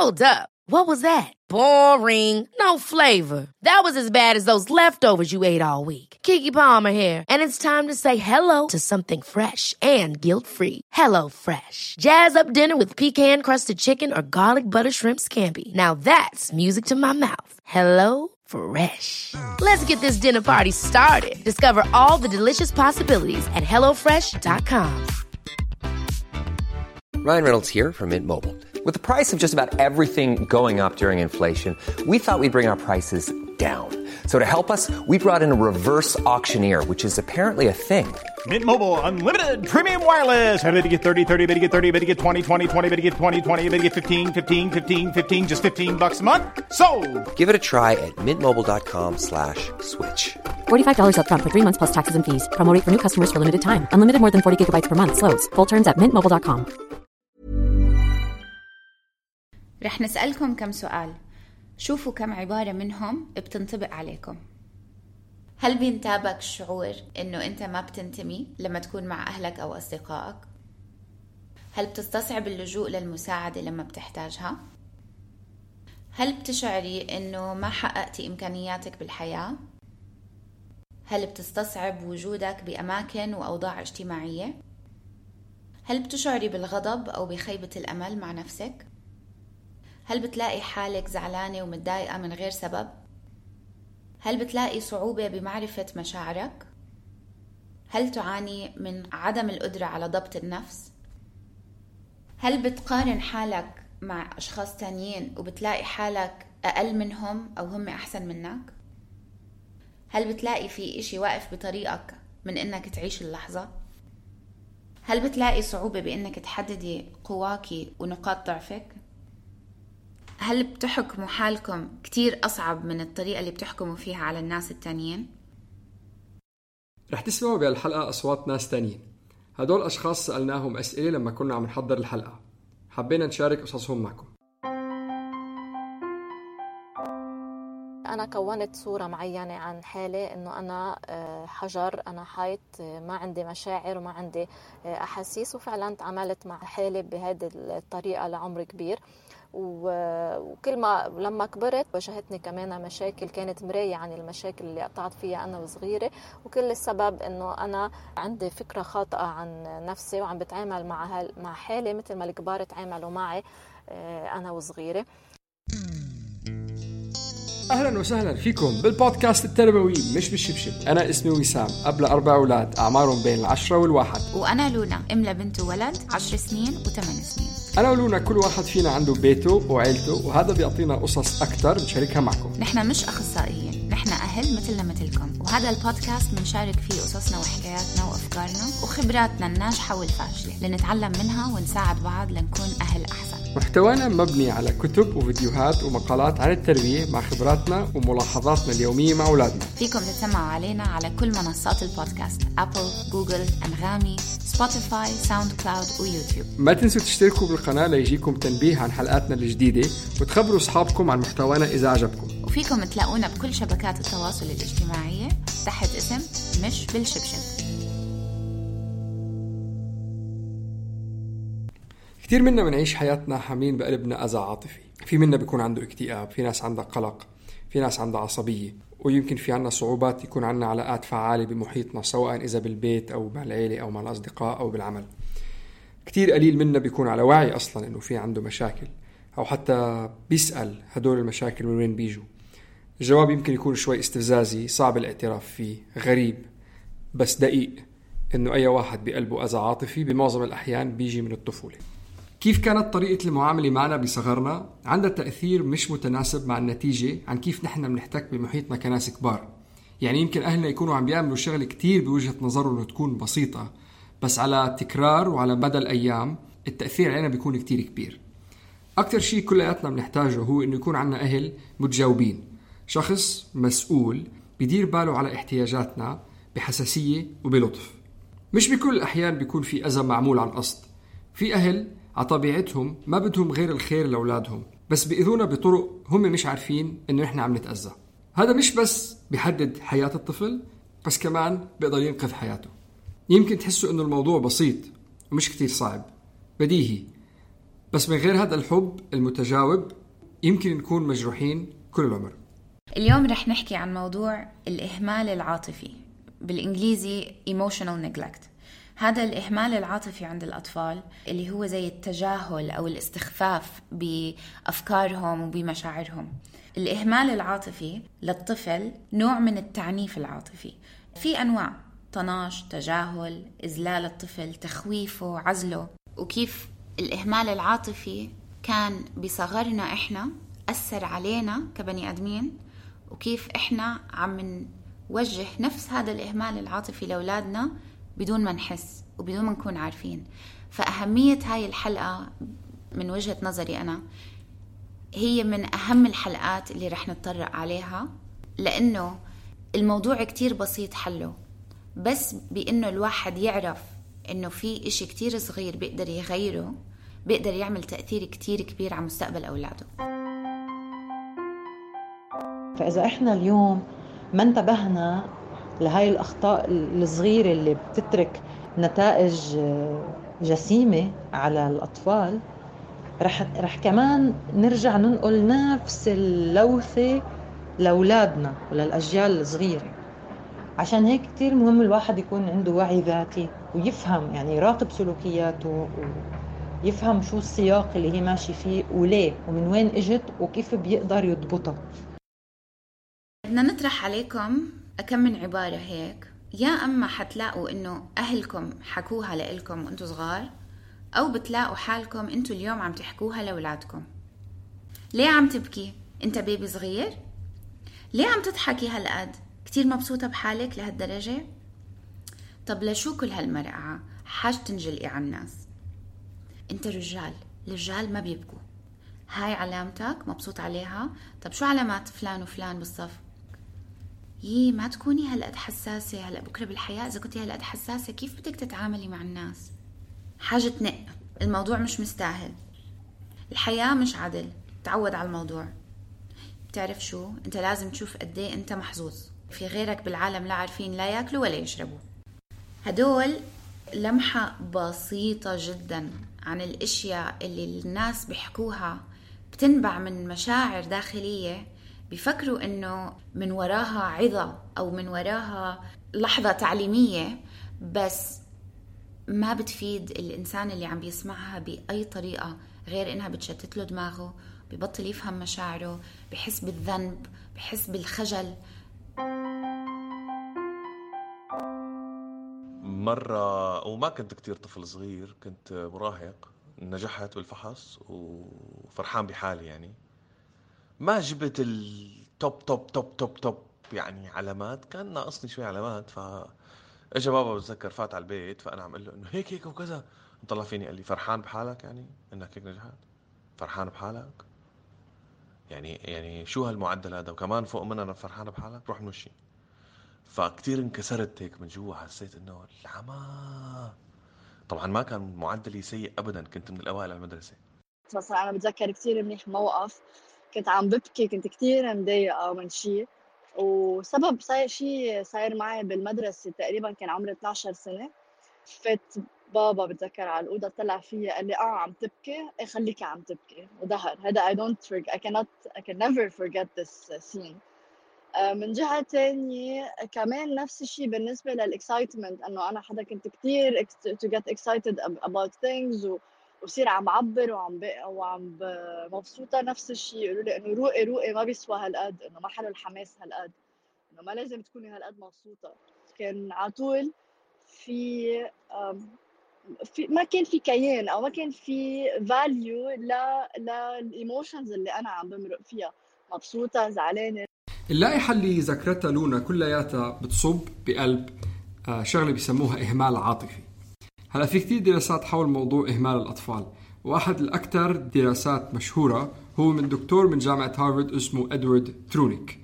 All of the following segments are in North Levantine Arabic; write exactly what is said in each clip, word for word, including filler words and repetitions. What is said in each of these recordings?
Hold up. What was that? Boring. No flavor. That was as bad as those leftovers you ate all week. Keke Palmer here, and it's time to say hello to something fresh and guilt-free. Hello Fresh. Jazz up dinner with pecan-crusted chicken or garlic butter shrimp scampi. Now that's music to my mouth. Hello Fresh. Let's get this dinner party started. Discover all the delicious possibilities at hello fresh dot com. Ryan Reynolds here from Mint Mobile. With the price of just about everything going up during inflation, we thought we'd bring our prices down. So to help us, we brought in a reverse auctioneer, which is apparently a thing. Mint Mobile Unlimited Premium Wireless. How to get thirty, thirty, how to get thirty, how to get twenty, twenty, twenty, how to get twenty, twenty, how to get fifteen, fifteen, fifteen, fifteen, just fifteen bucks a month? Sold! Give it a try at mintmobile.com slash switch. forty-five dollars up front for three months plus taxes and fees. Promo rate for new customers for limited time. Unlimited more than forty gigabytes per month. Slows full terms at mint mobile dot com. رح نسألكم كم سؤال. شوفوا كم عبارة منهم بتنطبق عليكم. هل بينتابك الشعور إنه أنت ما بتنتمي لما تكون مع أهلك أو أصدقائك؟ هل بتستصعب اللجوء للمساعدة لما بتحتاجها؟ هل بتشعري إنه ما حققتي إمكانياتك بالحياة؟ هل بتستصعب وجودك بأماكن وأوضاع اجتماعية؟ هل بتشعري بالغضب أو بخيبة الأمل مع نفسك؟ هل بتلاقي حالك زعلانة ومتضايقة من غير سبب؟ هل بتلاقي صعوبة بمعرفة مشاعرك؟ هل تعاني من عدم القدرة على ضبط النفس؟ هل بتقارن حالك مع أشخاص تانيين وبتلاقي حالك أقل منهم أو هم أحسن منك؟ هل بتلاقي في إشي واقف بطريقك من إنك تعيش اللحظة؟ هل بتلاقي صعوبة بإنك تحددي قواكي ونقاط ضعفك؟ هل بتحكموا حالكم كتير أصعب من الطريقة اللي بتحكموا فيها على الناس التانيين؟ رح تسمعوا بهالحلقة أصوات ناس تانيين. هدول أشخاص سألناهم أسئلة لما كنا عم نحضر الحلقة. حبينا نشارك قصصهم معكم. أنا كونت صورة معينة عن حالي إنه أنا حجر، أنا حيط، ما عندي مشاعر وما عندي أحاسيس، وفعلا تعاملت مع حالي بهذه الطريقة لعمر كبير. وكل ما لما كبرت واجهتني كمان مشاكل كانت مراية عن المشاكل اللي قطعت فيها أنا وصغيرة، وكل السبب إنه أنا عندي فكرة خاطئة عن نفسي وعم بتعامل مع مع حالي مثل ما الكبار تعاملوا معي أنا وصغيرة. أهلا وسهلا فيكم بالبودكاست التربوي مش بالشبشب. أنا اسمي وسام، أب لأربع أولاد أعمارهم بين العشرة والواحد. وأنا لونا، أم لبنت وولد عشر سنين وثمان سنين. أنا ولونا كل واحد فينا عنده بيته وعيلته، وهذا بيعطينا قصص أكتر نشاركها معكم. نحن مش أخصائيين، نحن أهل مثلنا مثلكم، وهذا البودكاست بنشارك فيه قصصنا وحكاياتنا وأفكارنا وخبراتنا الناجحة والفاشلة لنتعلم منها ونساعد بعض لنكون أهل أحسن. محتوانا مبني على كتب وفيديوهات ومقالات عن التربية مع خبراتنا وملاحظاتنا اليومية مع أولادنا. فيكم تسمعوا علينا على كل منصات البودكاست: أبل، جوجل، أنغامي، سبوتيفاي، ساوند كلاود ويوتيوب. ما تنسوا تشتركوا بالقناة ليجيكم تنبيه عن حلقاتنا الجديدة، وتخبروا أصحابكم عن محتوانا إذا عجبكم. وفيكم تلاقونا بكل شبكات التواصل الاجتماعية تحت اسم مش بالشبشب. كتير منا بنعيش حياتنا حاملين بقلبنا أذى عاطفي. في منا بيكون عنده اكتئاب، في ناس عندها قلق، في ناس عندها عصبية، ويمكن في عنا صعوبات يكون عنا علاقات فعالة بمحيطنا، سواء إذا بالبيت أو مع العيلة أو مع الأصدقاء أو بالعمل. كتير قليل منا بيكون على وعي أصلا إنه في عنده مشاكل، أو حتى بيسأل هدول المشاكل من وين بيجوا. الجواب يمكن يكون شوي استفزازي، صعب الاعتراف فيه، غريب، بس دقيق، إنه أي واحد بقلبه أذى عاطفي بمعظم الأحيان بيجي من الطفولة. كيف كانت طريقة المعاملة معنا بصغرنا عندها تأثير مش متناسب مع النتيجة عن كيف نحن بنحتك بمحيطنا كناس كبار. يعني يمكن أهلنا يكونوا عم بيعملوا شغل كتير بوجهة نظرهم إنه تكون بسيطة، بس على تكرار وعلى مدى الأيام التأثير علينا بيكون كتير كبير. أكتر شيء كلياتنا بنحتاجه هو إنه يكون عنا أهل متجاوبين، شخص مسؤول بيدير باله على احتياجاتنا بحساسية وبلطف. مش بكل الأحيان بيكون في أذى معمول عن قصد. في أهل عطبيعتهم ما بدهم غير الخير لأولادهم، بس بيأذونا بطرق هم مش عارفين إنه إحنا عم نتأذى. هذا مش بس بيحدد حياة الطفل، بس كمان بيقدر ينقذ حياته. يمكن تحسوا إنه الموضوع بسيط ومش كتير صعب، بديهي، بس من غير هذا الحب المتجاوب يمكن نكون مجروحين كل العمر. اليوم رح نحكي عن موضوع الإهمال العاطفي، بالإنجليزي emotional neglect. هذا الإهمال العاطفي عند الأطفال اللي هو زي التجاهل أو الاستخفاف بأفكارهم وبمشاعرهم. الإهمال العاطفي للطفل نوع من التعنيف العاطفي. في أنواع: طناش، تجاهل، إذلال الطفل، تخويفه، عزله. وكيف الإهمال العاطفي كان بصغرنا إحنا أثر علينا كبني أدمين، وكيف إحنا عم نوجه نفس هذا الإهمال العاطفي لأولادنا بدون ما نحس وبدون ما نكون عارفين. فأهمية هاي الحلقة من وجهة نظري أنا هي من أهم الحلقات اللي رح نتطرق عليها، لأنه الموضوع كتير بسيط حله، بس بأنه الواحد يعرف أنه في إشي كتير صغير بيقدر يغيره، بيقدر يعمل تأثير كتير كبير على مستقبل أولاده. فإذا إحنا اليوم ما انتبهنا لهاي الأخطاء الصغيرة اللي بتترك نتائج جسيمة على الأطفال، رح, رح كمان نرجع ننقل نفس اللوثة لأولادنا وللأجيال الصغيرة. عشان هيك كتير مهم الواحد يكون عنده وعي ذاتي ويفهم، يعني يراقب سلوكياته ويفهم شو السياق اللي هي ماشي فيه وليه ومن وين اجت وكيف بيقدر يضبطها. بدنا نطرح عليكم أكم من عبارة هيك، يا أما حتلاقوا إنه أهلكم حكوها لإلكم وإنتوا صغار، أو بتلاقوا حالكم إنتوا اليوم عم تحكوها لأولادكم. ليه عم تبكي؟ أنت بيبي صغير؟ ليه عم تضحكي هالقد؟ كتير مبسوطة بحالك لهالدرجة؟ طب لشو كل هالمرقعة؟ حاج تنجلقي على الناس. أنت رجال، الرجال ما بيبكوا، هاي علامتك مبسوط عليها. طب شو علامات فلان وفلان بالصف؟ يي ما تكوني هلقد حساسة، هلأ بكرة بالحياة إذا كنتي هلقد حساسة كيف بدك تتعاملي مع الناس؟ حاجة تنق، الموضوع مش مستاهل، الحياة مش عدل، تعود على الموضوع. بتعرف شو؟ انت لازم تشوف قديه انت محظوظ، في غيرك بالعالم لا عارفين لا ياكلوا ولا يشربوا. هدول لمحة بسيطة جدا عن الاشياء اللي الناس بيحكوها، بتنبع من مشاعر داخلية بيفكروا انه من وراها عظة او من وراها لحظة تعليمية، بس ما بتفيد الانسان اللي عم بيسمعها باي طريقة غير انها بتشتت له دماغه، ببطل يفهم مشاعره، بحس بالذنب، بحس بالخجل. مرة وما كنت كتير طفل صغير، كنت مراهق، نجحت بالفحص وفرحان بحالي، يعني ما جبت التوب توب توب توب توب يعني علامات، كان ناقصني شوي علامات. فاجا بابا بتذكر فات على البيت، فانا عم اقول له انه هيك هيك وكذا، طلع فيني قال لي فرحان بحالك، يعني انك هيك نجحت، فرحان بحالك، يعني يعني شو هالمعدل هذا، وكمان فوق منها انا فرحان بحالك، روح نمشي. فكتير انكسرت هيك من جوا، حسيت انه العمى. طبعا ما كان معدلي سيء ابدا، كنت من الاوائل على المدرسه. مثلا انا بتذكر كتير منيح موقف، كنت عم ببكي، كنت كتير مضايقه من شيء، وسبب صاير شيء صاير معي بالمدرسه، تقريبا كان عمري اثنعش سنه. فات بابا بتذكر على الأوضة، طلع فيا قال لي اه عم تبكي، ايه خليكي عم تبكي، وظهر. هذا I don't forget, I cannot I can never forget this scene. آه من جهة تانية كمان نفس الشيء بالنسبة للإكسايتمنت، انه انا حدا كنت كتير to get excited about things و وصير عم عبر وعم وعم مبسوطة. نفس الشيء يقولوا لي انه روقي روقي ما بيسوى هالقد، انه ما حلو الحماس هالقد، انه ما لازم تكوني هالقد مبسوطة. كان عطول في في ما كان في كيان او ما كان في فاليو لا للايموشنز اللي انا عم بمرق فيها، مبسوطه زعلانه. اللائحه اللي ذكرتها لونا كلياتها بتصب بقلب شغله بيسموها اهمال عاطفي. هلا في كتير دراسات حول موضوع اهمال الاطفال، واحد الاكثر دراسات مشهوره هو من دكتور من جامعه هارفارد اسمه ادوارد ترونيك.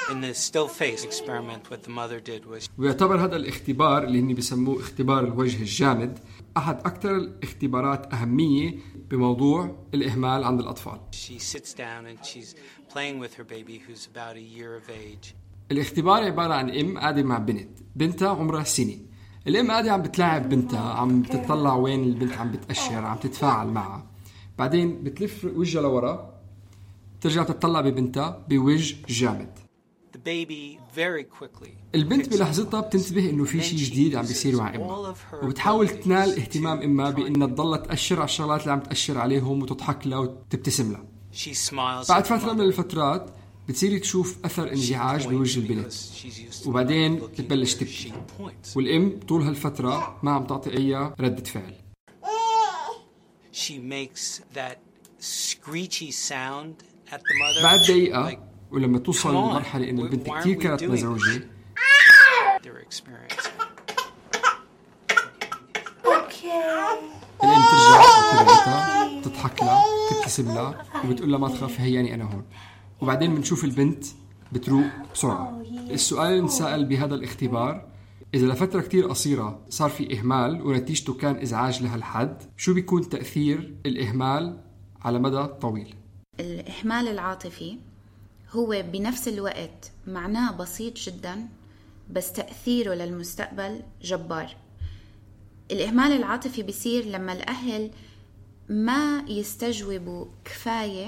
In the still face experiment what the mother did was ويعتبر هذا الاختبار اللي هني بيسموه اختبار الوجه الجامد أحد أكثر الاختبارات أهمية بموضوع الإهمال عند الأطفال. She sits down and she's playing with her baby who's about a year of age. الاختبار عبارة عن أم قاعدة مع بنت، بنتها عمرها سنة. الأم قاعدة عم بتلاعب بنتها، عم بتطلع وين البنت عم بتأشر، عم تتفاعل معها. بعدين بتلف وجهها لورا، ترجع تطلع ببنتها بوجه جامد. البنت بلحظتها بتنتبه انه في شيء جديد عم بيصير مع امها، وبتحاول تنال اهتمام امها بانها تضل تأشر على الشغلات اللي عم تأشر عليهم وتضحك لها وتبتسم لها. بعد فترة من الفترات بتصيري تشوف اثر انزعاج بوجه البنت، وبعدين بتبلش تبكي، والام طول هالفترة ما عم تعطي اي ردة فعل. بعد دقيقة ولما توصل لمرحلة إن البنت كتير كانت مزعوجة، الأم ترجع تبعتها، تضحك لها، تبتسم لها، وبتقول لها ما تخاف، هياني أنا هون. وبعدين بنشوف البنت بتروق بسرعة. السؤال اللي نسأل بهذا الاختبار: إذا لفترة كتير قصيرة صار في إهمال ونتيجته كان إزعاج لهالحد، شو بيكون تأثير الإهمال على مدى طويل؟ الإهمال العاطفي هو بنفس الوقت معناه بسيط جدا، بس تأثيره للمستقبل جبار. الإهمال العاطفي بيصير لما الأهل ما يستجوبوا كفاية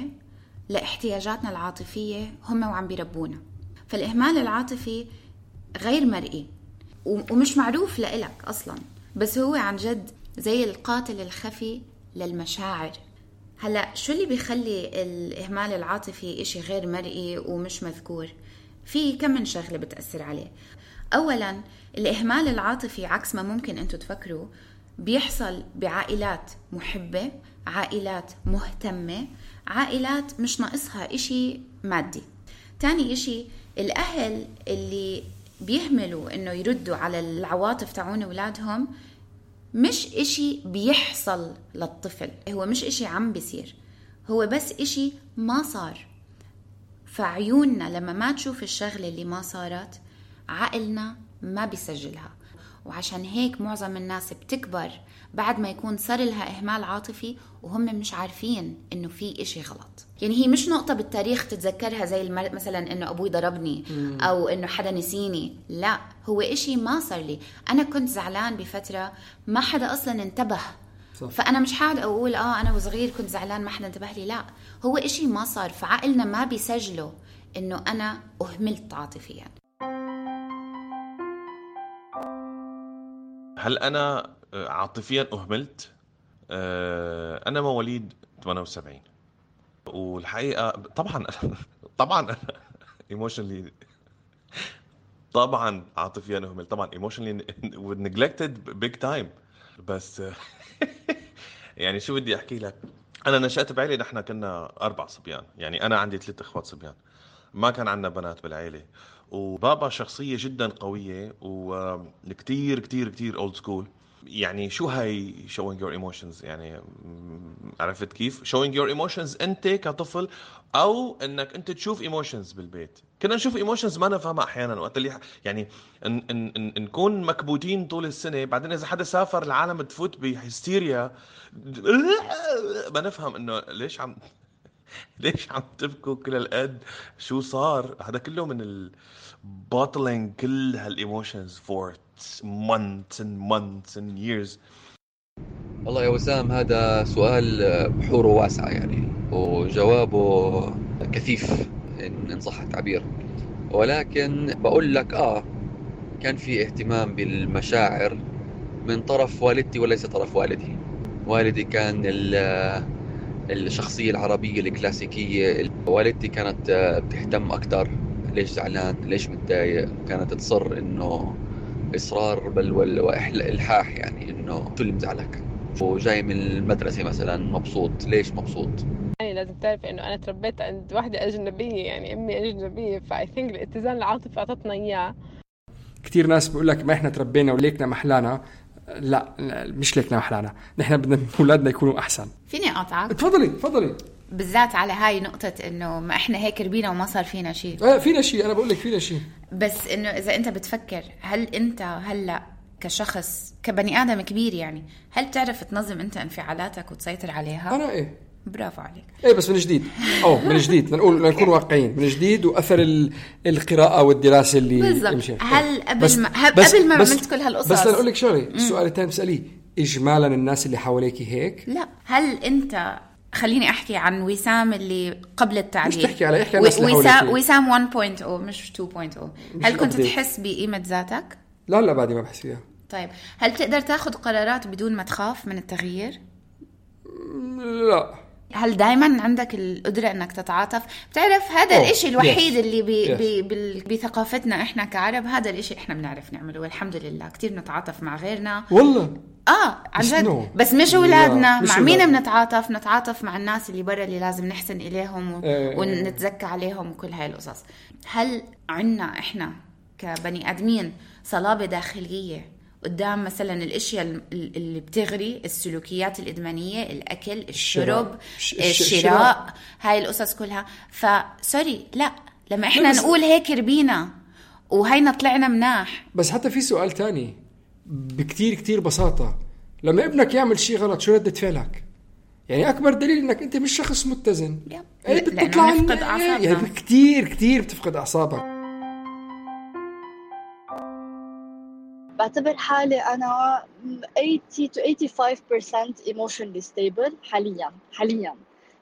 لاحتياجاتنا العاطفية هم وعم بيربونا. فالإهمال العاطفي غير مرئي ومش معروف لإلك أصلا، بس هو عن جد زي القاتل الخفي للمشاعر. هلأ شو اللي بيخلي الإهمال العاطفي إشي غير مرئي ومش مذكور؟ في كم من شغلة بتأثر عليه. أولا، الإهمال العاطفي عكس ما ممكن أنتوا تفكروا بيحصل بعائلات محبة، عائلات مهتمة، عائلات مش ناقصها إشي مادي. تاني إشي، الأهل اللي بيهملوا إنه يردوا على العواطف تاعون أولادهم مش إشي بيحصل للطفل، هو مش إشي عم بيصير، هو بس إشي ما صار. فعيوننا لما ما تشوف الشغلة اللي ما صارت، عقلنا ما بيسجلها. وعشان هيك معظم الناس بتكبر بعد ما يكون صار لها إهمال عاطفي وهم مش عارفين إنه في إشي غلط. يعني هي مش نقطة بالتاريخ تتذكرها زي المر... مثلا إنه أبوي ضربني مم. أو إنه حدا نسيني، لا، هو إشي ما صار لي. أنا كنت زعلان بفترة ما حدا أصلا انتبه، صح. فأنا مش حاد أقول آه أنا وصغير كنت زعلان ما حدا انتبه لي، لا، هو إشي ما صار، فعقلنا ما بيسجله إنه أنا أهملت عاطفيا. هل أنا عاطفيا أهملت؟ أنا مواليد ثمانية وسبعين، والحقيقة طبعا طبعا emotionally طبعا عاطفيا أهملت، طبعا emotionally neglected big time. بس يعني شو بدي أحكي لك، أنا نشأت بعائلة نحن كنا أربع صبيان، يعني أنا عندي ثلاث إخوات صبيان، ما كان عندنا بنات بالعائلة. وبابا شخصية جدا قوية وكتير كتير كتير old school. يعني شو هاي showing your emotions؟ يعني عرفت كيف showing your emotions أنت كطفل، أو أنك أنت تشوف emotions بالبيت. كنا نشوف emotions ما نفهمها أحيانا وقت اللي يعني ن- ن- ن- نكون مكبوتين طول السنة، بعدين إذا حدا سافر العالم تفوت بهستيريا، ما نفهم إنه ليش عم ليش عم تبكوا كل القد، شو صار. هذا كله من ال bottling كل هالemotions for months and months and years. والله يا وسام، هذا سؤال بحوره واسعة يعني، وجوابه كثيف إن صح التعبير، ولكن بقول لك آه كان في اهتمام بالمشاعر من طرف والدتي وليس طرف والدي. والدي كان الشخصية العربية الكلاسيكية، والدتي كانت بتهتم أكتر ليش زعلان، ليش متضايق، كانت تصر إنه إصرار بل والإلحاح، يعني إنه شو اللي مزعلك، وجاي من المدرسة مثلا مبسوط، ليش مبسوط. يعني لازم تعرف إنه أنا تربيت عند واحدة أجنبية، يعني أمي أجنبية، فاي ثينك الاتزان العاطفي أعطتنا إياه. كتير ناس بيقول لك ما إحنا تربينا وليكنا محلانا. لا مش ليكنا محلانا، نحن بدنا أولادنا يكونوا أحسن. فيني أقطعك؟ تفضلي تفضلي. بالذات على هاي نقطة إنه ما إحنا هيك ربينا وما صار فينا شيء. آه فينا شيء، أنا بقول لك فينا شيء. بس إنه إذا أنت بتفكر، هل أنت هلأ كشخص كبني آدم كبير يعني، هل تعرف تنظم أنت انفعالاتك وتسيطر عليها؟ أنا إيه. برافو عليك. إيه بس من جديد. أو من جديد نقول نكون واقعيين، من جديد، وأثر القراءة والدراسة اللي بالضبط. هل قبل ما قبل ما عملت كل هالقصص، بس أقول لك شغلة، السؤال الثاني بسأليه، إجمالا الناس اللي حواليك هيك؟ لا، هل أنت خليني أحكي عن وسام اللي قبل التعديل. مش تحكي على إحكي الناس اللي وسام وسام واحد نقطة صفر مش اثنين نقطة صفر. هل كنت أبديت. تحس بقيمة ذاتك؟ لا لا بعدي ما بحس فيها. طيب هل تقدر تاخد قرارات بدون ما تخاف من التغيير؟ لا. هل دايما عندك القدرة انك تتعاطف؟ بتعرف هذا أوه. الاشي الوحيد yes. اللي بي yes. بي بي بثقافتنا احنا كعرب، هذا الاشي احنا بنعرف نعمله والحمد لله. كتير نتعاطف مع غيرنا والله. اه عن جد no. بس مش اولادنا. مع مين ولاد. بنتعاطف؟ نتعاطف مع الناس اللي برا اللي لازم نحسن اليهم و... إيه. ونتزكى عليهم وكل هاي القصص. هل عنا احنا كبني ادمين صلابة داخلية قدام مثلا الاشياء اللي بتغري، السلوكيات الادمانيه، الاكل، الشرب، الشراء، هاي القصص كلها؟ فسوري لا، لما احنا نقول هيك ربينا وهينا طلعنا مناح. بس حتى في سؤال تاني بكتير كتير بساطه، لما ابنك يعمل شيء غلط شو ردة فعلك؟ يعني اكبر دليل انك انت مش شخص متزن. ايه بتطلع نفقد اعصابنا. يعني كتير كتير بتفقد اعصابك. بعتبر حالي أنا ثمانين to eighty-five percent emotionally stable حالياً حالياً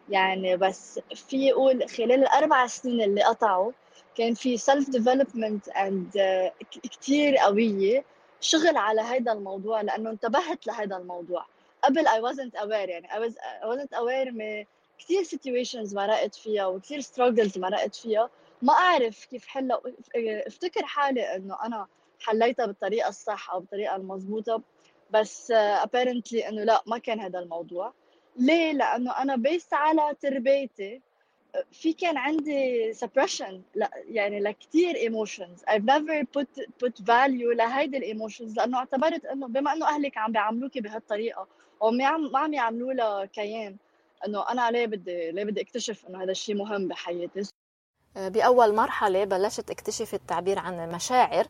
يعني. بس في يقول خلال الأربع سنين اللي قطعوا كان في self development and uh, كتير قوية شغل على هذا الموضوع، لأنه انتبهت لهذا الموضوع. قبل I wasn't aware يعني I, was, I wasn't aware من كتير situations مرقت فيها وكتير struggles مرقت فيها ما أعرف كيف حلها. افتكر حالي أنه أنا حليتها بالطريقة الصح أو بالطريقة المضبوطة، بس apparently إنه لا، ما كان هذا الموضوع. ليه؟ لأنه أنا بيست على تربيتي في كان عندي suppression لا يعني لكتير emotions. I've never put put value لهيدي الemotions، لأنه اعتبرت إنه بما إنه أهلك عم بيعاملوكي بهالطريقة وما عم ما عم يعاملوا لها كيان، إنه أنا ليه بدي ليه بدي اكتشف إنه هذا الشيء مهم بحياتي. بأول مرحلة بلشت اكتشف التعبير عن المشاعر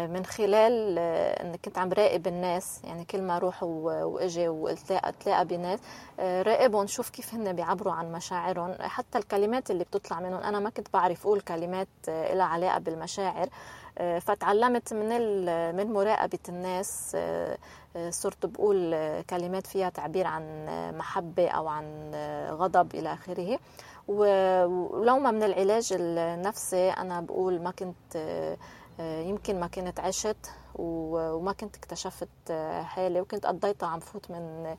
من خلال أن كنت عم راقب الناس، يعني كل ما أروح وأجي وأتلاقى بناس راقب ونشوف كيف هن بيعبروا عن مشاعرهم. حتى الكلمات اللي بتطلع منهم أنا ما كنت بعرف أقول كلمات لها علاقة بالمشاعر، فتعلمت من من مراقبة الناس صرت بقول كلمات فيها تعبير عن محبة أو عن غضب إلى آخره. ولو ما من العلاج النفسي أنا بقول ما كنت يمكن ما كنت عشت وما كنت اكتشفت حالي، وكنت قضيتها عم فوت من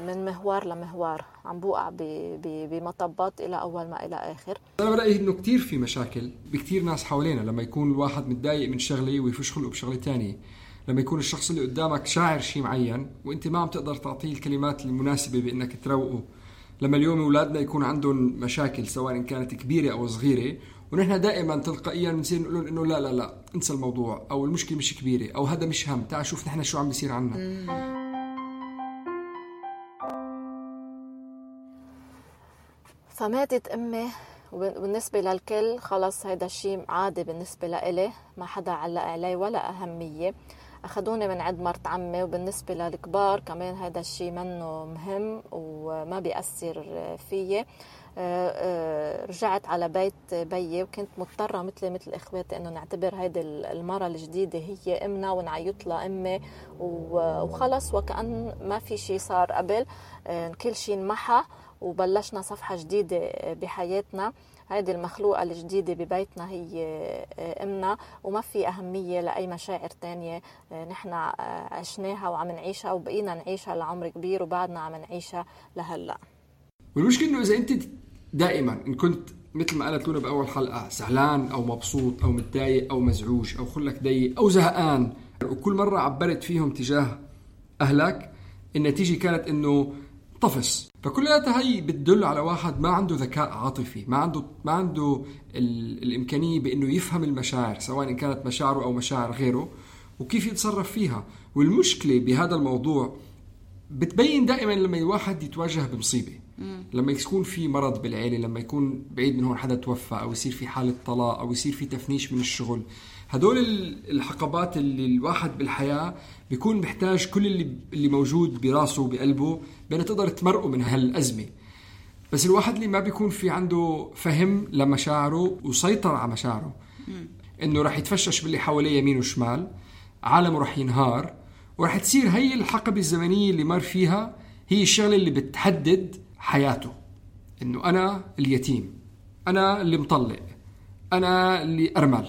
من مهوار لمهوار، عم بوقع بمطبات إلى أول ما إلى آخر. أنا برأيي إنه كتير في مشاكل بكتير ناس حوالينا لما يكون الواحد متضايق من شغلة ويفش خلقه بشغلة تانية، لما يكون الشخص اللي قدامك شاعر شيء معين وإنت ما عم تقدر تعطيه الكلمات المناسبة بإنك تروقه. لما اليوم أولادنا يكون عندهم مشاكل سواء كانت كبيرة أو صغيرة، ونحن دائما تلقائيا بنصير نقول إنه لا لا لا انسى الموضوع، أو المشكلة مش كبيرة، أو هذا مش هم، تعال شوف نحن شو عم بيصير عنا. فماتت أمي وبالنسبة للكل خلص هيدا الشيء عادي بالنسبة لإلي، ما حدا علق علي ولا أهمية. أخذوني من عند مرت عمي، وبالنسبة للكبار كمان هذا الشيء منه مهم وما بيأثر فيي. رجعت على بيت بيي وكنت مضطرة مثلي مثل إخواتي إنه نعتبر هيدي المرة الجديدة هي إمنا ونعيط لها أمي وخلص، وكأن ما في شيء صار قبل، كل شيء انمحى وبلشنا صفحة جديدة بحياتنا. هيدي المخلوقة الجديدة ببيتنا هي أمنا، وما في أهمية لأي مشاعر تانية نحن عشناها وعم نعيشها وبقينا نعيشها لعمر كبير وبعدنا عم نعيشها لهلأ. والمشكلة إنه إذا أنت دائما إن كنت مثل ما قالت لنا بأول حلقة زعلان أو مبسوط أو متضايق أو مزعوج أو خلك ضيق أو زهقان، وكل مرة عبرت فيهم تجاه أهلك، النتيجة كانت إنه طفس. فكلها هي بتدل على واحد ما عنده ذكاء عاطفي، ما عنده ما عنده الإمكانية بإنه يفهم المشاعر سواء إن كانت مشاعره أو مشاعر غيره وكيف يتصرف فيها. والمشكلة بهذا الموضوع بتبين دائما لما الواحد يتواجه بمصيبة، لما يكون في مرض بالعيلة، لما يكون بعيد من هون حدا توفى، أو يصير في حالة طلاق، أو يصير في تفنيش من الشغل. هدول الحقبات اللي الواحد بالحياة بيكون محتاج كل اللي اللي موجود براسه وبقلبه بأنه تقدر تمرقه من هالأزمة. بس الواحد اللي ما بيكون في عنده فهم لمشاعره وسيطر على مشاعره، إنه راح يتفشش باللي حواليه يمين وشمال، عالمه راح ينهار، وراح تصير هي الحقبة الزمنية اللي مر فيها هي الشغلة اللي بتحدد حياته، إنه أنا اليتيم، أنا اللي مطلق، أنا اللي أرمل،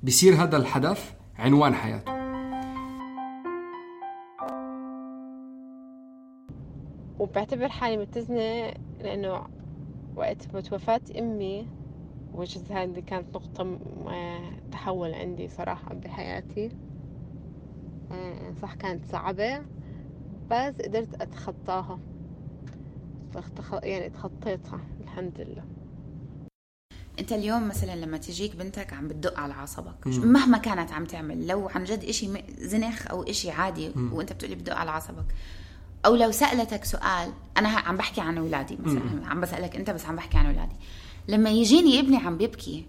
بيصير هذا الحدث عنوان حياته. وبعتبر حالي متزنة لأنه وقت وفاة أمي وجز هذه كانت نقطة تحول عندي صراحة بحياتي. صح كانت صعبة بس قدرت أتخطاها، يعني تخطيتها الحمد لله. انت اليوم مثلا لما تجيك بنتك عم بتدق على عصبك مهما كانت عم تعمل، لو عن جد اشي زنخ او اشي عادي م. وانت بتقولي بدق على عصبك، او لو سألتك سؤال، انا عم بحكي عن اولادي مثلا م. عم بسألك انت بس عم بحكي عن اولادي، لما يجيني ابني عم بيبكي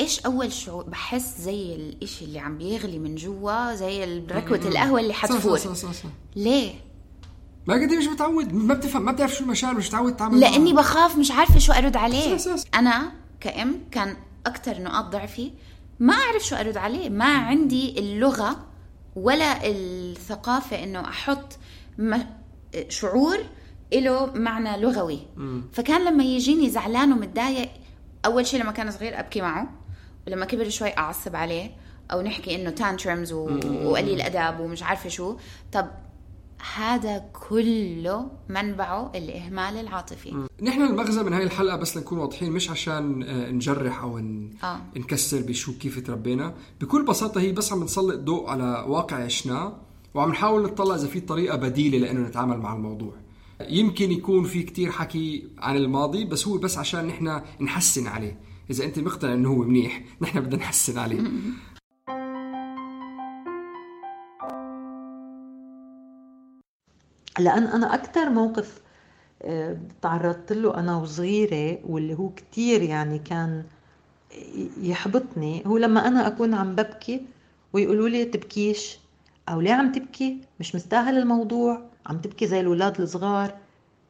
ايش اول شعور؟ بحس زي الاشي اللي عم بيغلي من جوا، زي ركوة القهوة اللي حتفور. صح صح صح صح. ليه؟ ما قدي مش متعود، ما بتفهم، ما بتعرف شو المشاعر، مش متعود تعمل. لاني معه. بخاف، مش عارفه شو ارد عليه. ساس ساس. انا كأم كان اكتر نقاط ضعفي ما اعرف شو ارد عليه، ما عندي اللغه ولا الثقافه انه احط شعور له معنى لغوي. م. فكان لما يجيني زعلان ومتضايق، اول شيء لما كان صغير ابكي معه، ولما كبر شوي اعصب عليه او نحكي انه تانترمز وقليل ادب ومش عارفه شو. طب هذا كله منبعه الإهمال العاطفي. نحن المغزى من هاي الحلقة بس لنكون واضحين، مش عشان نجرح أو آه. نكسر بشو كيف تربينا. بكل بساطة هي بس عم نسلط ضوء على واقع عشناه، وعم نحاول نطلع إذا في طريقة بديلة لأنه نتعامل مع الموضوع. يمكن يكون في كتير حكي عن الماضي، بس هو بس عشان نحن نحسن عليه. إذا أنت مقتنع إنه هو منيح، نحن بدنا نحسن عليه. لأن أنا أكتر موقف تعرضت له أنا وصغيرة واللي هو كتير يعني كان يحبطني، هو لما أنا أكون عم ببكي ويقولوا لي تبكيش، أو ليه عم تبكي، مش مستاهل الموضوع، عم تبكي زي الولاد الصغار،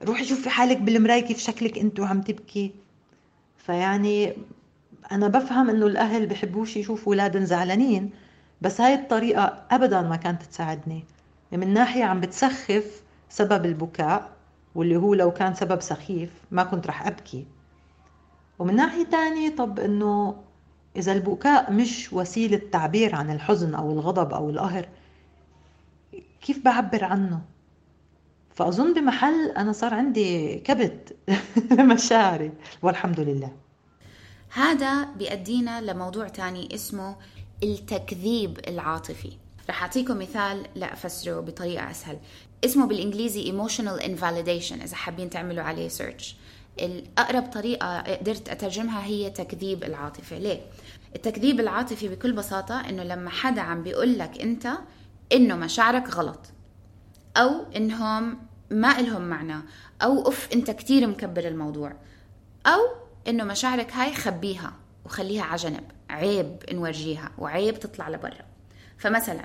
روحي شوفي حالك بالمراية كيف شكلك أنتوا عم تبكي. فيعني أنا بفهم إنه الأهل بحبوش يشوفوا أولادهم زعلانين، بس هاي الطريقة أبدا ما كانت تساعدني. من ناحية عم بتسخف سبب البكاء، واللي هو لو كان سبب سخيف ما كنت رح أبكي. ومن ناحية تانية طب إنه إذا البكاء مش وسيلة تعبير عن الحزن أو الغضب أو القهر، كيف بعبر عنه؟ فأظن بمحل أنا صار عندي كبت مشاعري والحمد لله. هذا بيأدينا لموضوع تاني اسمه التكذيب العاطفي. رح أعطيكم مثال لأفسره بطريقة أسهل. اسمه بالإنجليزي emotional invalidation، إذا حابين تعملوا عليه search. الأقرب طريقة قدرت أترجمها هي تكذيب العاطفة. ليه؟ التكذيب العاطفي بكل بساطة إنه لما حدا عم بيقول لك أنت إنه مشاعرك غلط، أو إنهم ما إلهم معنى، أو أف أنت كتير مكبر الموضوع، أو إنه مشاعرك هاي خبيها وخليها عجنب، عيب نورجيها وعيب تطلع لبرا. فمثلا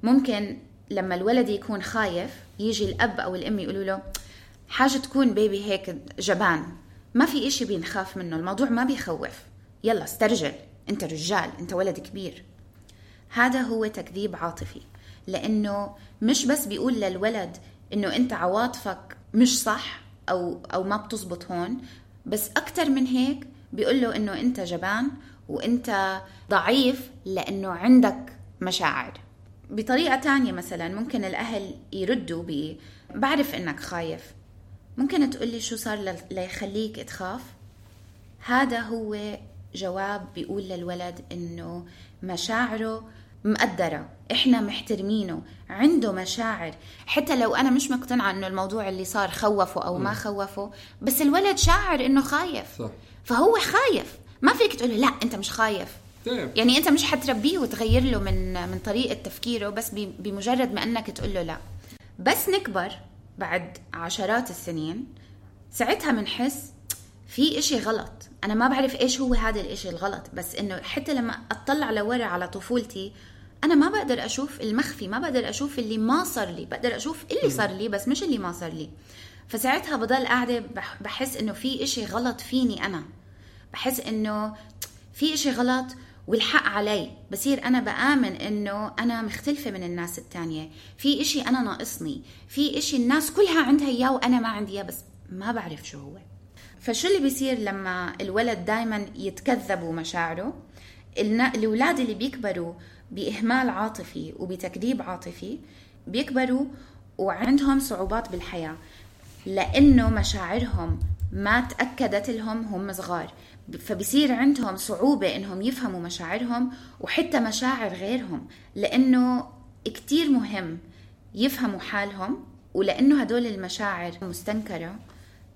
ممكن لما الولد يكون خايف يجي الأب أو الأم يقولوا له حاجة تكون بيبي هيك جبان، ما في إشي بينخاف منه، الموضوع ما بيخوف، يلا استرجل، أنت رجال، أنت ولد كبير. هذا هو تكذيب عاطفي، لأنه مش بس بيقول للولد إنه أنت عواطفك مش صح أو, أو ما بتزبط هون، بس أكتر من هيك بيقول له إنه أنت جبان وأنت ضعيف لأنه عندك مشاعر. بطريقة تانية مثلا ممكن الأهل يردوا ب بعرف إنك خايف، ممكن تقولي شو صار ليخليك تخاف؟ هذا هو جواب بيقول للولد إنه مشاعره مقدرة، إحنا محترمينه، عنده مشاعر، حتى لو أنا مش مقتنعة إنه الموضوع اللي صار خوفه أو ما خوفه، بس الولد شاعر إنه خايف. صح. فهو خايف، ما فيك تقوله لا أنت مش خايف. يعني أنت مش حتربيه وتغير له من من طريقة تفكيره بس بمجرد ما أنك تقول له لا. بس نكبر بعد عشرات السنين، ساعتها منحس في إشي غلط، أنا ما بعرف إيش هو هذا الإشي الغلط، بس إنه حتى لما أطلع لورا على طفولتي أنا ما بقدر أشوف المخفي، ما بقدر أشوف اللي ما صار لي، بقدر أشوف اللي صار لي بس مش اللي ما صار لي. فساعتها بضل قاعدة بحس إنه في إشي غلط فيني، أنا بحس إنه في إشي غلط والحق علي، بصير أنا بآمن إنه أنا مختلفة من الناس التانية، في إشي أنا ناقصني، في إشي الناس كلها عندها إياه وأنا ما عندي إياه، بس ما بعرف شو هو. فشو اللي بيصير لما الولد دايما يتكذبوا مشاعره؟ الأولاد اللي بيكبروا بإهمال عاطفي وبتكذيب عاطفي بيكبروا وعندهم صعوبات بالحياة، لأنه مشاعرهم ما تأكدت لهم هم صغار، فبصير عندهم صعوبة إنهم يفهموا مشاعرهم وحتى مشاعر غيرهم، لأنه كتير مهم يفهموا حالهم. ولأنه هدول المشاعر مستنكرة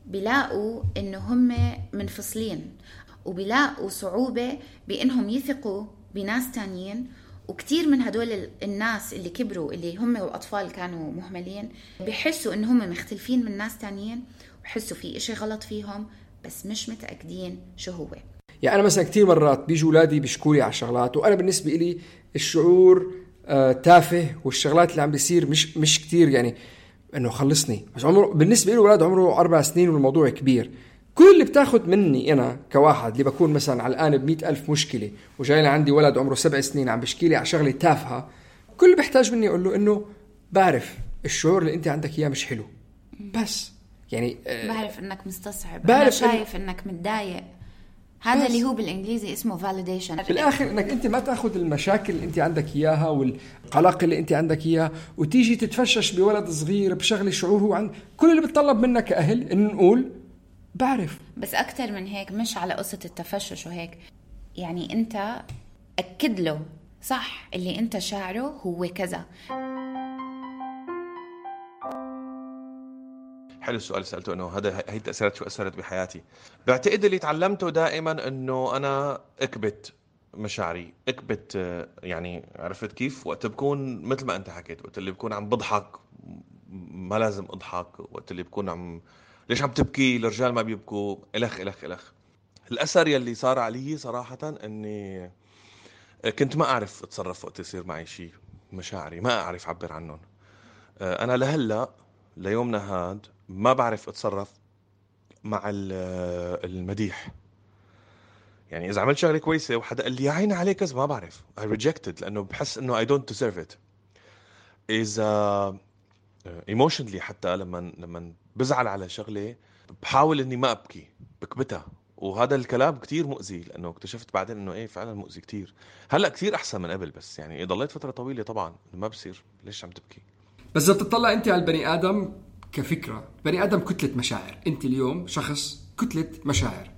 بيلاقوا إنه هم منفصلين، وبيلاقوا صعوبة بإنهم يثقوا بناس تانيين. وكتير من هدول الناس اللي كبروا اللي هم الأطفال كانوا مهملين بيحسوا إن هم مختلفين من ناس تانيين، وحسوا في إشي غلط فيهم بس مش متأكدين شو هو. يعني أنا مثلا كتير مرات بيجوا أولادي بيشكولي على شغلات، وأنا بالنسبة إلي الشعور آه تافه، والشغلات اللي عم بيصير مش مش كتير يعني إنه خلصني. بس عمره بالنسبة إلي ولاد عمره أربع سنين والموضوع كبير. كل اللي بتاخد مني أنا كواحد اللي بكون مثلا علقان بمئة ألف مشكلة، وجاي عندي ولد عمره سبع سنين عم بشكيلي على شغلة تافهة، كل اللي بحتاج مني أقول له إنه بعرف الشعور اللي أنت عندك إياه مش حلو، بس يعني آه بعرف إنك مستصعب، أنا شايف إن... إنك متضايق. هذا اللي هو بالإنجليزي اسمه validation. في الآخر إنك أنت ما تأخذ المشاكل اللي أنت عندك إياها والقلق اللي أنت عندك إياه وتيجي تتفشش بولد صغير بشغلة شعور هو عند. كل اللي بتطلب منك كأهل إن نقول بعرف. بس أكتر من هيك، مش على قصة التفشش وهيك، يعني أنت أكد له صح اللي أنت شاعره هو كذا. حلو السؤال اللي سألته، إنه هذا هي التأثيرات شو أثرت بحياتي. بعتقد اللي تعلمته دائما إنه أنا أكبت مشاعري، أكبت يعني عرفت كيف؟ وقت بكون مثل ما أنت حكيت، وقت اللي بكون عم بضحك ما لازم أضحك، وقت اللي بكون عم ليش عم تبكي، الرجال ما بيبكوا، إلخ إلخ إلخ. الأثر يلي صار علي صراحة أني كنت ما أعرف أتصرف وقت يصير معي شيء، مشاعري ما أعرف أعبر عنهم. أنا لهلأ ليومنا هاد ما بعرف أتصرف مع المديح. يعني إذا عملت شغلة كويسة وحدا قال لي يا عيني عليك كذا، ما بعرف، I rejected، لأنه بحس إنه I don't deserve it. إذا emotionally حتى لما لما بزعل على شغلة بحاول إني ما أبكي، بكبتها، وهذا الكلام كتير مؤذي، لأنه اكتشفت بعدين إنه إيه فعلا مؤذي كتير. هلأ كتير أحسن من قبل، بس يعني ضليت فترة طويلة طبعا ما بصير ليش عم تبكي. بس إذا بتطلع أنت على البني آدم كفكرة، بني آدم كتلة مشاعر. أنت اليوم شخص كتلة مشاعر،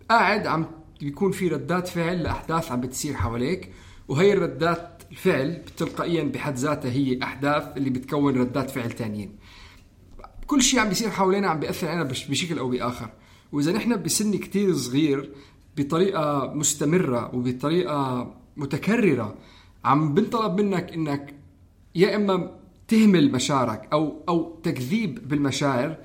قاعد عم بيكون في ردات فعل لأحداث عم بتصير حواليك، وهي الردات الفعل تلقائيا بحد ذاتها هي أحداث اللي بتكون ردات فعل تانيين. كل شيء عم بيصير حوالينا عم بيأثر علينا بشكل أو بآخر. وإذا نحن بسن كتير صغير بطريقة مستمرة وبطريقة متكررة عم بنطلب منك إنك يا إما تهمل مشاعرك أو أو تكذيب بالمشاعر،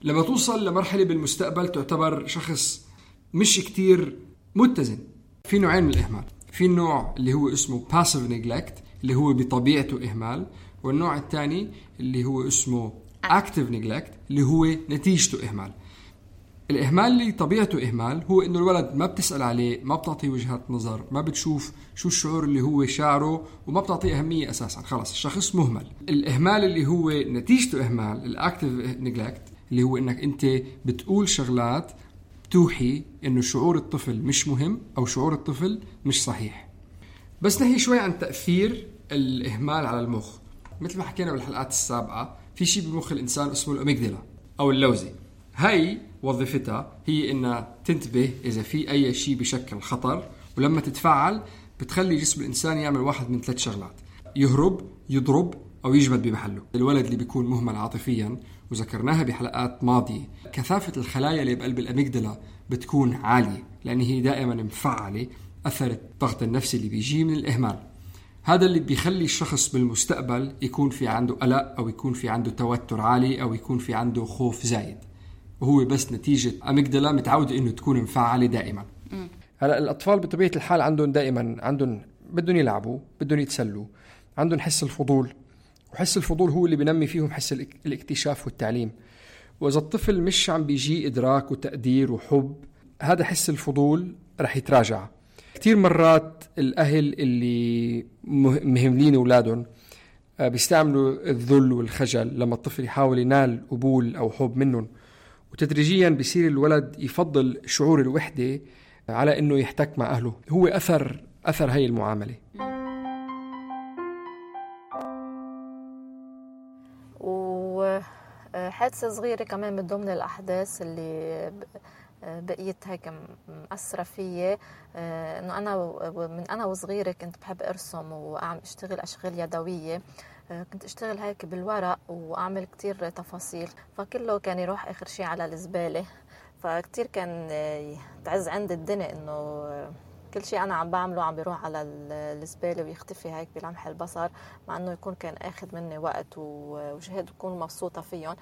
لما توصل لمرحلة بالمستقبل تعتبر شخص مش كتير متزن. في نوعين من الإهمال، في النوع اللي هو اسمه passive neglect اللي هو بطبيعته إهمال، والنوع الثاني اللي هو اسمه active neglect اللي هو نتيجته إهمال. الإهمال اللي طبيعته إهمال هو إنه الولد ما بتسأل عليه، ما بتعطيه وجهات نظر، ما بتشوف شو الشعور اللي هو شاعره، وما بتعطيه أهمية أساسا، خلاص الشخص مهمل. الإهمال اللي هو نتيجته إهمال الأكتيف نيجلكت اللي هو إنك أنت بتقول شغلات توحي إنه شعور الطفل مش مهم أو شعور الطفل مش صحيح. بس نحكي شوي عن تأثير الإهمال على المخ. مثل ما حكينا بالحلقات السابقة، في شيء بمخ الإنسان اسمه الأميجدلا أو اللوزي. هاي وظيفتها هي إنها تنتبه إذا في أي شيء بشكل خطر، ولما تتفاعل بتخلي جسم الإنسان يعمل واحد من ثلاث شغلات: يهرب، يضرب، أو يجمد بمحله. الولد اللي بيكون مهمل عاطفيا، وذكرناها بحلقات ماضية، كثافة الخلايا اللي بقلب الأميجدلا بتكون عالية لأن هي دائما مفعلة أثر الضغط النفسي اللي بيجي من الإهمال. هذا اللي بيخلي الشخص بالمستقبل يكون في عنده قلق، أو يكون في عنده توتر عالي، أو يكون في عنده خوف زايد، وهو بس نتيجة أميجدلا متعودة إنه تكون مفعلة دائما. هلا الأطفال بطبيعة الحال عندهم دائما عندهم بدهم يلعبوا، بدهم يتسلوا، عندهم حس الفضول، وحس الفضول هو اللي بينمي فيهم حس الاكتشاف والتعليم. وإذا الطفل مش عم بيجي إدراك وتقدير وحب، هذا حس الفضول رح يتراجع. كتير مرات الأهل اللي مهملين أولادهم بيستعملوا الذل والخجل لما الطفل يحاول ينال قبول أو حب منهم، وتدريجيا بيصير الولد يفضل شعور الوحدة على إنه يحتك مع أهله. هو أثر أثر هاي المعاملة. وحادثة صغيرة كمان من ضمن الأحداث اللي بقيت هيك مأثرة فيي، إنه أنا من أنا وصغيرة كنت بحب أرسم وأعمل أشتغل أشغال يدوية. كنت أشتغل هيك بالورق وأعمل كتير تفاصيل، فكله كان يروح آخر شيء على الزبالة. فكتير كان تعز عند الدنيا إنه كل شيء أنا عم بعمله عم بيروح على الزبالة ويختفي هيك بلمح البصر، مع إنه يكون كان أخذ مني وقت وجهد وكون مبسوطة فيهم.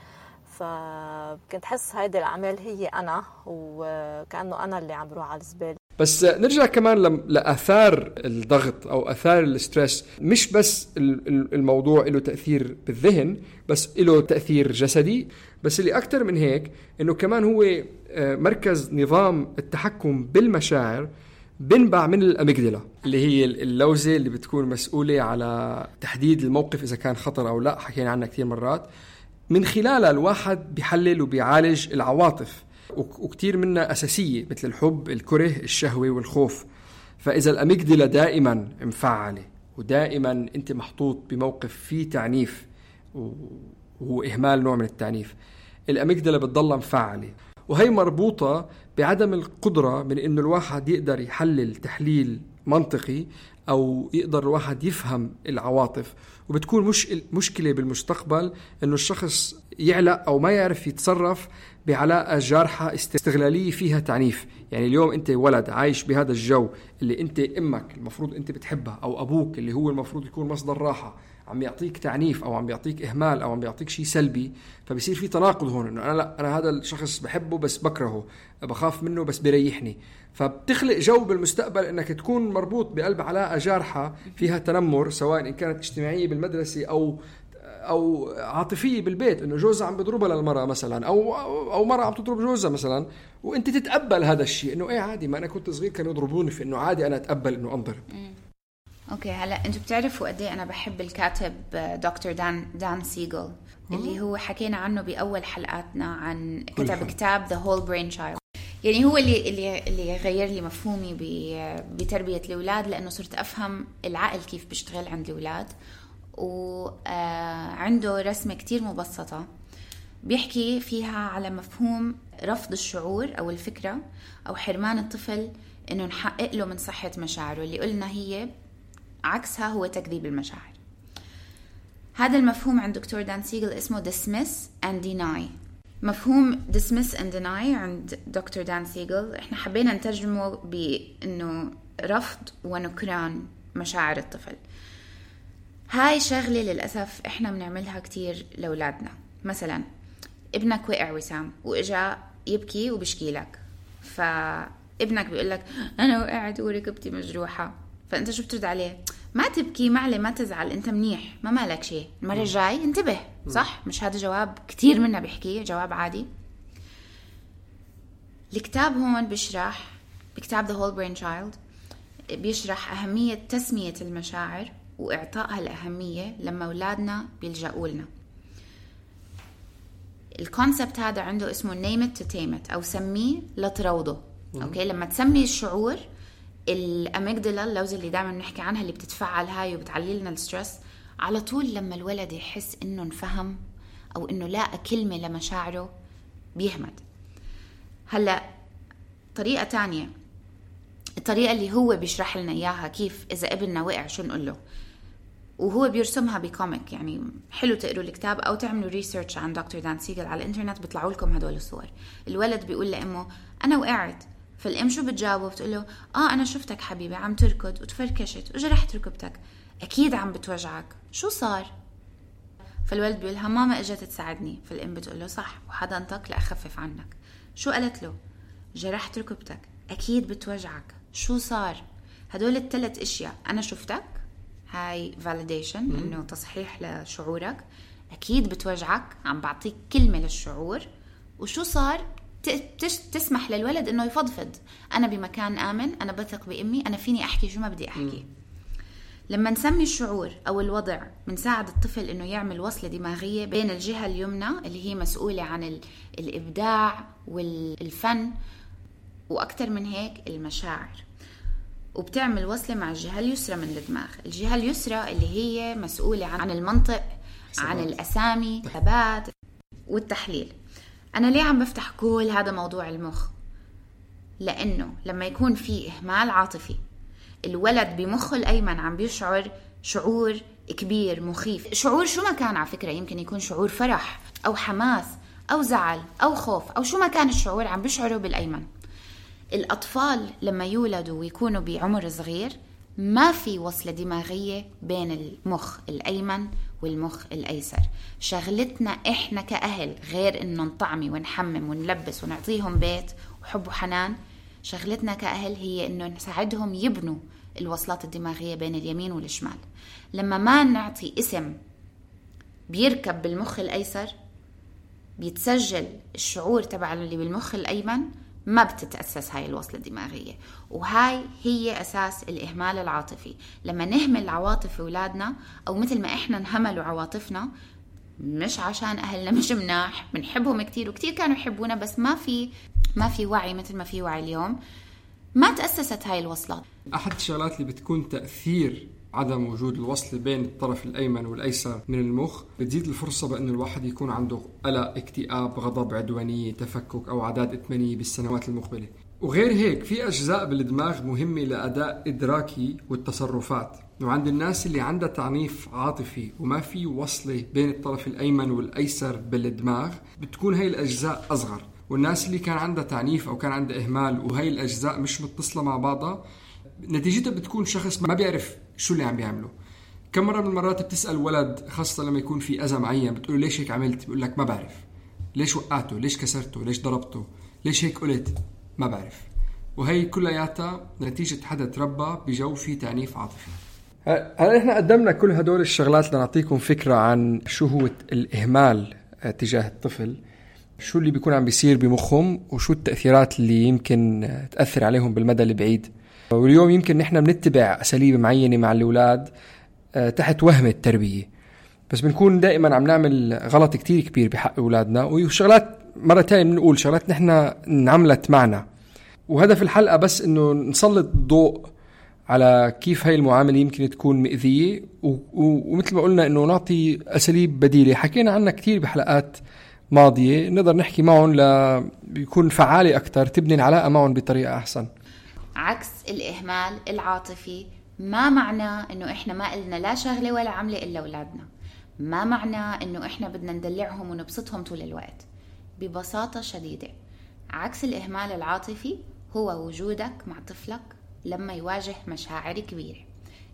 فكنت حس هيدي الأعمال هي أنا، وكأنه أنا اللي عم بروح على الزبالة. بس نرجع كمان لأثار الضغط أو أثار الستريس. مش بس الموضوع له تأثير بالذهن، بس له تأثير جسدي. بس اللي أكتر من هيك إنه كمان هو مركز نظام التحكم بالمشاعر بنبع من الأميجدلا، اللي هي اللوزة اللي بتكون مسؤولة على تحديد الموقف إذا كان خطر أو لا. حكينا عنها كتير مرات. من خلالها الواحد بيحلل وبيعالج العواطف، وكتير منها أساسية مثل الحب، الكره، الشهوة والخوف. فإذا الأميجدلا دائما مفعلة ودائما أنت محطوط بموقف فيه تعنيف وهو إهمال نوع من التعنيف، الأميجدلا بتضل مفعلة، وهي مربوطة بعدم القدرة من إنه الواحد يقدر يحلل تحليل منطقي أو يقدر الواحد يفهم العواطف. وبتكون مش مشكلة بالمستقبل إنه الشخص يعلق أو ما يعرف يتصرف بعلاقة جارحة استغلالية فيها تعنيف. يعني اليوم أنت ولد عايش بهذا الجو اللي أنت أمك المفروض أنت بتحبها، أو أبوك اللي هو المفروض يكون مصدر راحة عم يعطيك تعنيف أو عم يعطيك إهمال أو عم يعطيك شيء سلبي. فبصير في تناقض هون، إنه أنا لا أنا هذا الشخص بحبه بس بكرهه، بخاف منه بس بيريحني. فبتخلق جو بالمستقبل إنك تكون مربوط بقلب علاقة جارحة فيها تنمر، سواء إن كانت اجتماعية بالمدرسة أو أو عاطفية بالبيت، إنه جوزها عم بيضربها للمرأة مثلا، أو أو مرأة عم تضرب جوزها مثلا، وأنت تتقبل هذا الشيء إنه إيه عادي، ما أنا كنت صغير كانوا يضربوني، في إنه عادي أنا أتقبل إنه أنضرب. اوكي هلا انتوا بتعرفوا قد ايه انا بحب الكاتب دكتور دان دان سيغل اللي هو حكينا عنه باول حلقاتنا عن كتب كتاب The Whole Brain Child. يعني هو اللي اللي اللي غير لي مفهومي بتربيه الاولاد، لانه صرت افهم العقل كيف بيشتغل عند الاولاد. وعنده رسمه كتير مبسطه بيحكي فيها على مفهوم رفض الشعور او الفكره او حرمان الطفل انه نحقق له من صحه مشاعره، اللي قلنا هي عكسها هو تكذيب المشاعر. هذا المفهوم عند دكتور دان سيغل اسمه dismiss and deny. مفهوم dismiss and deny عند دكتور دان سيغل احنا حبينا نترجمه بانه رفض ونكران مشاعر الطفل. هاي شغلة للأسف احنا بنعملها كتير لأولادنا. مثلا ابنك وقع وسام واجا يبكي وبشكي لك، فابنك بيقول لك انا وقعت وركبتي مجروحة، فانت شو بترد عليه؟ ما تبكي معلي، ما تزعل، انت منيح، ما مالك شيء، المرة الجاي انتبه. صح؟ مش هذا جواب كتير منا بيحكيه، جواب عادي. الكتاب هون بيشرح، بكتاب The Whole Brain Child بيشرح أهمية تسمية المشاعر وإعطائها الأهمية لما أولادنا بيلجأوا لنا. الكونسبت هذا عنده اسمه name it to tame it، أو سميه لتروضه. أوكي، لما تسمي الشعور، الأميجدلا اللوزة اللي دائما نحكي عنها اللي بتتفعل هاي وبتعلي لنا الستريس، على طول لما الولد يحس إنه انفهم أو إنه لاقى كلمة لمشاعره بيهمد. هلأ طريقة تانية، الطريقة اللي هو بيشرح لنا إياها كيف إذا ابننا وقع شو نقول له، وهو بيرسمها بكوميك. يعني حلو تقروا الكتاب أو تعملوا ريسيرش عن دكتور دان سيغل على الإنترنت، بيطلعوا لكم هدول الصور. الولد بيقول لأمه أنا وقعت، فالأم شو بتجاوبه؟ بتقول له آه أنا شفتك حبيبي عم تركض وتفركشت وجرحت ركبتك، أكيد عم بتوجعك، شو صار؟ فالولد بيقولها ماما اجت تساعدني. فالأم بتقول له صح، وحضنتك لأخفف عنك. شو قالت له؟ جرحت ركبتك، أكيد بتوجعك، شو صار؟ هدول الثلاث اشياء، انا شفتك، هاي validation انه تصحيح لشعورك، اكيد بتوجعك، عم بعطيك كلمة للشعور، وشو صار؟ تسمح للولد انه يفضفض، انا بمكان امن، انا بثق بامي، انا فيني احكي شو ما بدي احكي. لما نسمي الشعور أو الوضع بنساعد الطفل إنه يعمل وصلة دماغية بين الجهة اليمنى اللي هي مسؤولة عن الإبداع والفن وأكتر من هيك المشاعر، وبتعمل وصلة مع الجهة اليسرى من الدماغ. الجهة اليسرى اللي هي مسؤولة عن المنطق، عن الأسامي، الثبات والتحليل. أنا ليه عم بفتح كل هذا موضوع المخ؟ لأنه لما يكون في إهمال عاطفي الولد بمخه الأيمن عم بيشعر شعور كبير مخيف، شعور شو ما كان على فكرة، يمكن يكون شعور فرح أو حماس أو زعل أو خوف أو شو ما كان الشعور عم بيشعره بالأيمن. الأطفال لما يولدوا ويكونوا بعمر صغير ما في وصلة دماغية بين المخ الأيمن والمخ الأيسر. شغلتنا إحنا كأهل غير إنه نطعمي ونحمم ونلبس ونعطيهم بيت وحب وحنان، شغلتنا كأهل هي إنه نساعدهم يبنوا الوصلات الدماغية بين اليمين والشمال. لما ما نعطي اسم بيركب بالمخ الأيسر بيتسجل الشعور تبع اللي بالمخ الأيمن، ما بتتأسس هاي الوصلة الدماغية، وهاي هي أساس الإهمال العاطفي. لما نهمل عواطف أولادنا أو مثل ما إحنا نهملوا عواطفنا، مش عشان أهلنا مش مناح، بنحبهم كتير وكتير كانوا يحبونا، بس ما في ما في وعي مثل ما في وعي اليوم، ما تأسست هاي الوصلات. أحد الشغلات اللي بتكون تأثير عدم وجود الوصل بين الطرف الأيمن والأيسر من المخ بتزيد الفرصة بأن الواحد يكون عنده قلق، اكتئاب، غضب، عدوانية، تفكك أو عادات إدمانية بالسنوات المقبلة. وغير هيك في أجزاء بالدماغ مهمة لأداء إدراكي والتصرفات، وعند الناس اللي عندها تعنيف عاطفي وما في وصلة بين الطرف الأيمن والأيسر بالدماغ بتكون هاي الأجزاء أصغر، والناس اللي كان عندها تعنيف أو كان عندها إهمال وهاي الأجزاء مش متصلة مع بعضها نتيجتها بتكون شخص ما بيعرف شو اللي عم بيعمله. كم مرة من المرات بتسأل ولد خاصة لما يكون في أذى معين بتقوله ليش هيك عملت؟ بيقول لك ما بعرف. ليش وقعته؟ ليش كسرته؟ ليش ضربته؟ ليش هيك قلت؟ ما بعرف. وهي كلياتها نتيجة حدا تربى بجو فيه تعنيف عاطفي. هلا احنا قدمنا كل هدول الشغلات لنعطيكم فكرة عن شو هو الإهمال تجاه الطفل، شو اللي بيكون عم بيصير بمخهم وشو التأثيرات اللي يمكن تأثر عليهم بالمدى البعيد. واليوم يمكن نحن بنتبع أساليب معينة مع الأولاد تحت وهم التربية، بس بنكون دائما عم نعمل غلط كتير كبير بحق أولادنا، وشغلات مرة تانية بنقول شغلات نحن نعملت معنا. وهدف الحلقة بس إنه نسلط ضوء على كيف هاي المعاملة يمكن تكون مؤذية، ومثل ما قلنا إنه نعطي أساليب بديلة حكينا عنها كتير بحلقات ماضية نقدر نحكي معهم ليكون فعالة أكتر، تبني العلاقة معهم بطريقة أحسن. عكس الإهمال العاطفي ما معناه إنه إحنا ما قلنا لا شغلة ولا عملة إلا أولادنا، ما معناه إنه إحنا بدنا ندلعهم ونبسطهم طول الوقت. ببساطة شديدة عكس الإهمال العاطفي هو وجودك مع طفلك لما يواجه مشاعر كبيرة،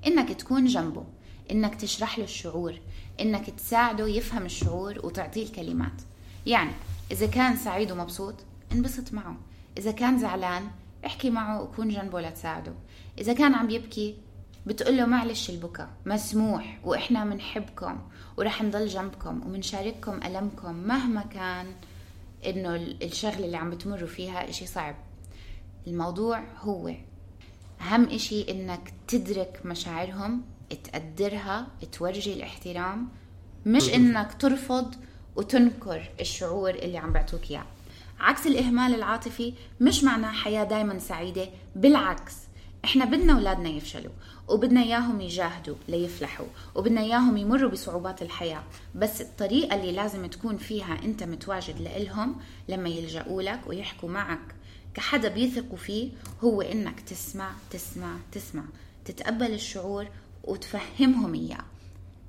إنك تكون جنبه، إنك تشرح له الشعور، إنك تساعده يفهم الشعور وتعطيه الكلمات. يعني إذا كان سعيد ومبسوط انبسط معه، إذا كان زعلان احكي معه وكون جنبه لتساعده، إذا كان عم يبكي بتقوله معلش البكاء مسموح وإحنا منحبكم ورح نضل جنبكم ومنشارككم ألمكم مهما كان إنه الشغل اللي عم بتمروا فيها إشي صعب. الموضوع هو أهم إشي إنك تدرك مشاعرهم، تقدرها، تورجي الاحترام، مش إنك ترفض وتنكر الشعور اللي عم بعطوك إياه. عكس الإهمال العاطفي مش معناه حياة دايما سعيدة، بالعكس إحنا بدنا أولادنا يفشلوا وبدنا إياهم يجاهدوا ليفلحوا وبدنا إياهم يمروا بصعوبات الحياة، بس الطريقة اللي لازم تكون فيها أنت متواجد لإلهم لما يلجأوا لك ويحكوا معك كحدا بيثقوا فيه هو إنك تسمع تسمع تسمع تتقبل الشعور وتفهمهم إياه.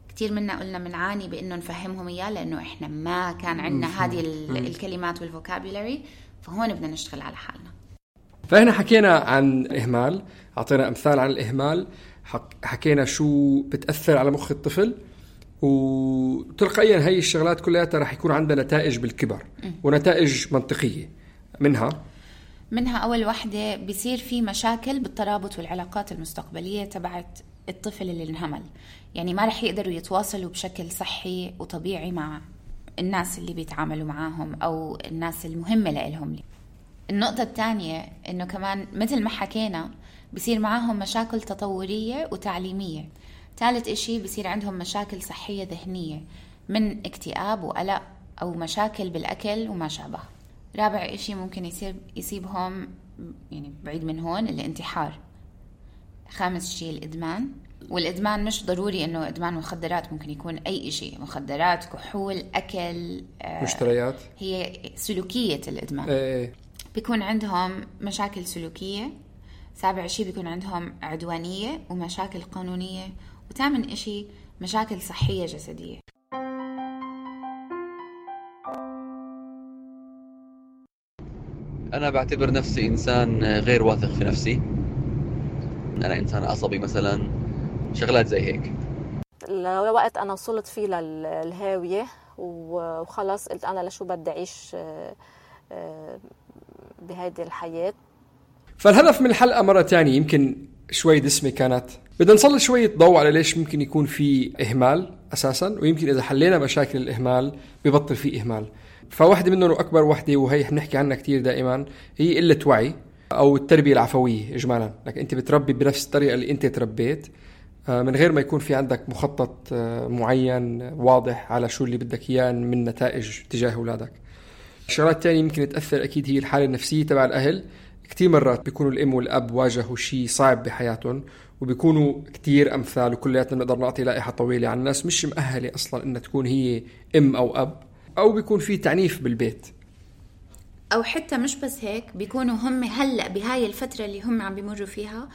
كتير منا قلنا منعاني بإنه نفهمهم إياه لأنه إحنا ما كان عندنا هذه الكلمات والفوكابولاري، فهون بدنا نشتغل على حالنا. فإحنا حكينا عن الإهمال، أعطينا أمثال عن الإهمال، حكينا شو بتأثر على مخ الطفل، وتلقائيا هاي الشغلات كلها رح يكون عندها نتائج بالكبر ونتائج منطقية. منها منها أول واحدة بيصير في مشاكل بالترابط والعلاقات المستقبلية تبعت الطفل اللي انهمل، يعني ما رح يقدروا يتواصلوا بشكل صحي وطبيعي مع الناس اللي بيتعاملوا معاهم أو الناس المهمة لهم. النقطة الثانية إنه كمان مثل ما حكينا بيصير معاهم مشاكل تطورية وتعليمية، ثالث إشي بصير عندهم مشاكل صحية ذهنية من اكتئاب وقلق أو مشاكل بالأكل وما شابه. رابع إشي ممكن يصير يصيبهم يعني بعيد من هون الانتحار. خامس شيء الإدمان، والإدمان مش ضروري إنه إدمان مخدرات، ممكن يكون أي شيء، مخدرات، كحول، أكل، مشتريات، هي سلوكية الإدمان. ايه. بيكون عندهم مشاكل سلوكية. سابع شيء بيكون عندهم عدوانية ومشاكل قانونية. وثامن إشي مشاكل صحية جسدية. أنا بعتبر نفسي إنسان غير واثق في نفسي. أنا إنسان عصبي مثلا، شغلات زي هيك. الوقت أنا وصلت فيه للهاوية وخلص قلت أنا لشو بدي أعيش بهذه الحياة. فالهدف من الحلقة مرة تانية يمكن شوي دسمة كانت، بدنا نسلط شوية ضوء على ليش ممكن يكون في إهمال أساساً، ويمكن إذا حلينا مشاكل الإهمال بيبطل في إهمال. فواحدة منهم وأكبر واحدة وهي بنحكي عنها كتير دائماً هي قلة وعي أو التربية العفوية إجمالاً. لك أنت بتربي بنفس الطريقة اللي أنت تربيت من غير ما يكون في عندك مخطط معين واضح على شو اللي بدك إياه من نتائج تجاه أولادك. الشغلات الثانية يمكن تأثر أكيد هي الحالة النفسية تبع الأهل. كتير مرات بيكونوا الأم والأب واجهوا شيء صعب بحياتهم وبيكونوا كتير أمثال، وكلياتنا نقدر نعطي لائحة طويلة عن الناس مش مؤهلة أصلا إن تكون هي أم أو أب، أو بيكون في تعنيف بالبيت، أو حتى مش بس هيك، بيكونوا هم هلأ بهاي الفترة اللي هم عم بيمروا فيها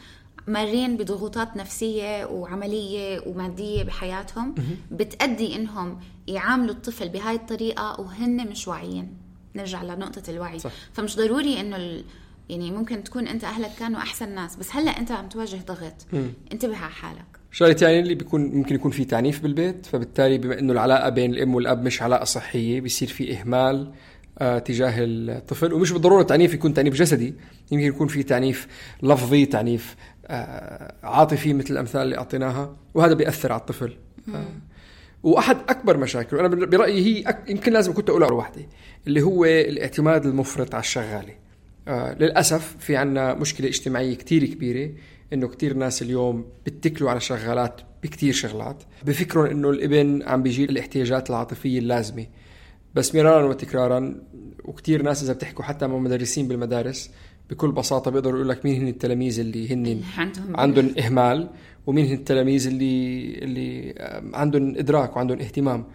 مارين بضغوطات نفسية وعملية ومادية بحياتهم بتأدي إنهم يعاملوا الطفل بهاي الطريقة وهن مش واعيين. نرجع لنقطة الوعي. صح. فمش ضروري إنه ال... يعني ممكن تكون أنت أهلك كانوا أحسن ناس، بس هلأ أنت عم تواجه ضغط. مم. انتبه على حالك. شغلة يعني اللي بيكون ممكن يكون في تعنيف بالبيت، فبالتالي بما إنه العلاقة بين الأم والأب مش علاقة صحية بيصير في إهمال آه تجاه الطفل. ومش بالضرورة تعنيف يكون تعنيف جسدي، يمكن يكون في تعنيف لفظي، تعنيف آه عاطفي مثل الأمثال اللي أعطيناها، وهذا بيأثر على الطفل. آه. وأحد أكبر مشاكل أنا برأيي هي أك... يمكن لازم كنت أقول على واحدة، اللي هو الاعتماد المفرط على الشغالة. آه للأسف في عنا مشكلة اجتماعية كتير كبيرة، إنه كتير ناس اليوم بتكلوا على شغالات بكتير شغلات، بفكرون إنه الابن عم بيجي الاحتياجات العاطفية اللازمة. بس مرارا وتكرارا، وكتير ناس إذا بتحكوا حتى مع مدرسين بالمدارس بكل بساطة بيقدروا يقول لك مين هن التلاميذ اللي هن عندهم, عندهم إهمال، ومين هن التلاميذ اللي اللي عندهم إدراك وعندهم اهتمام.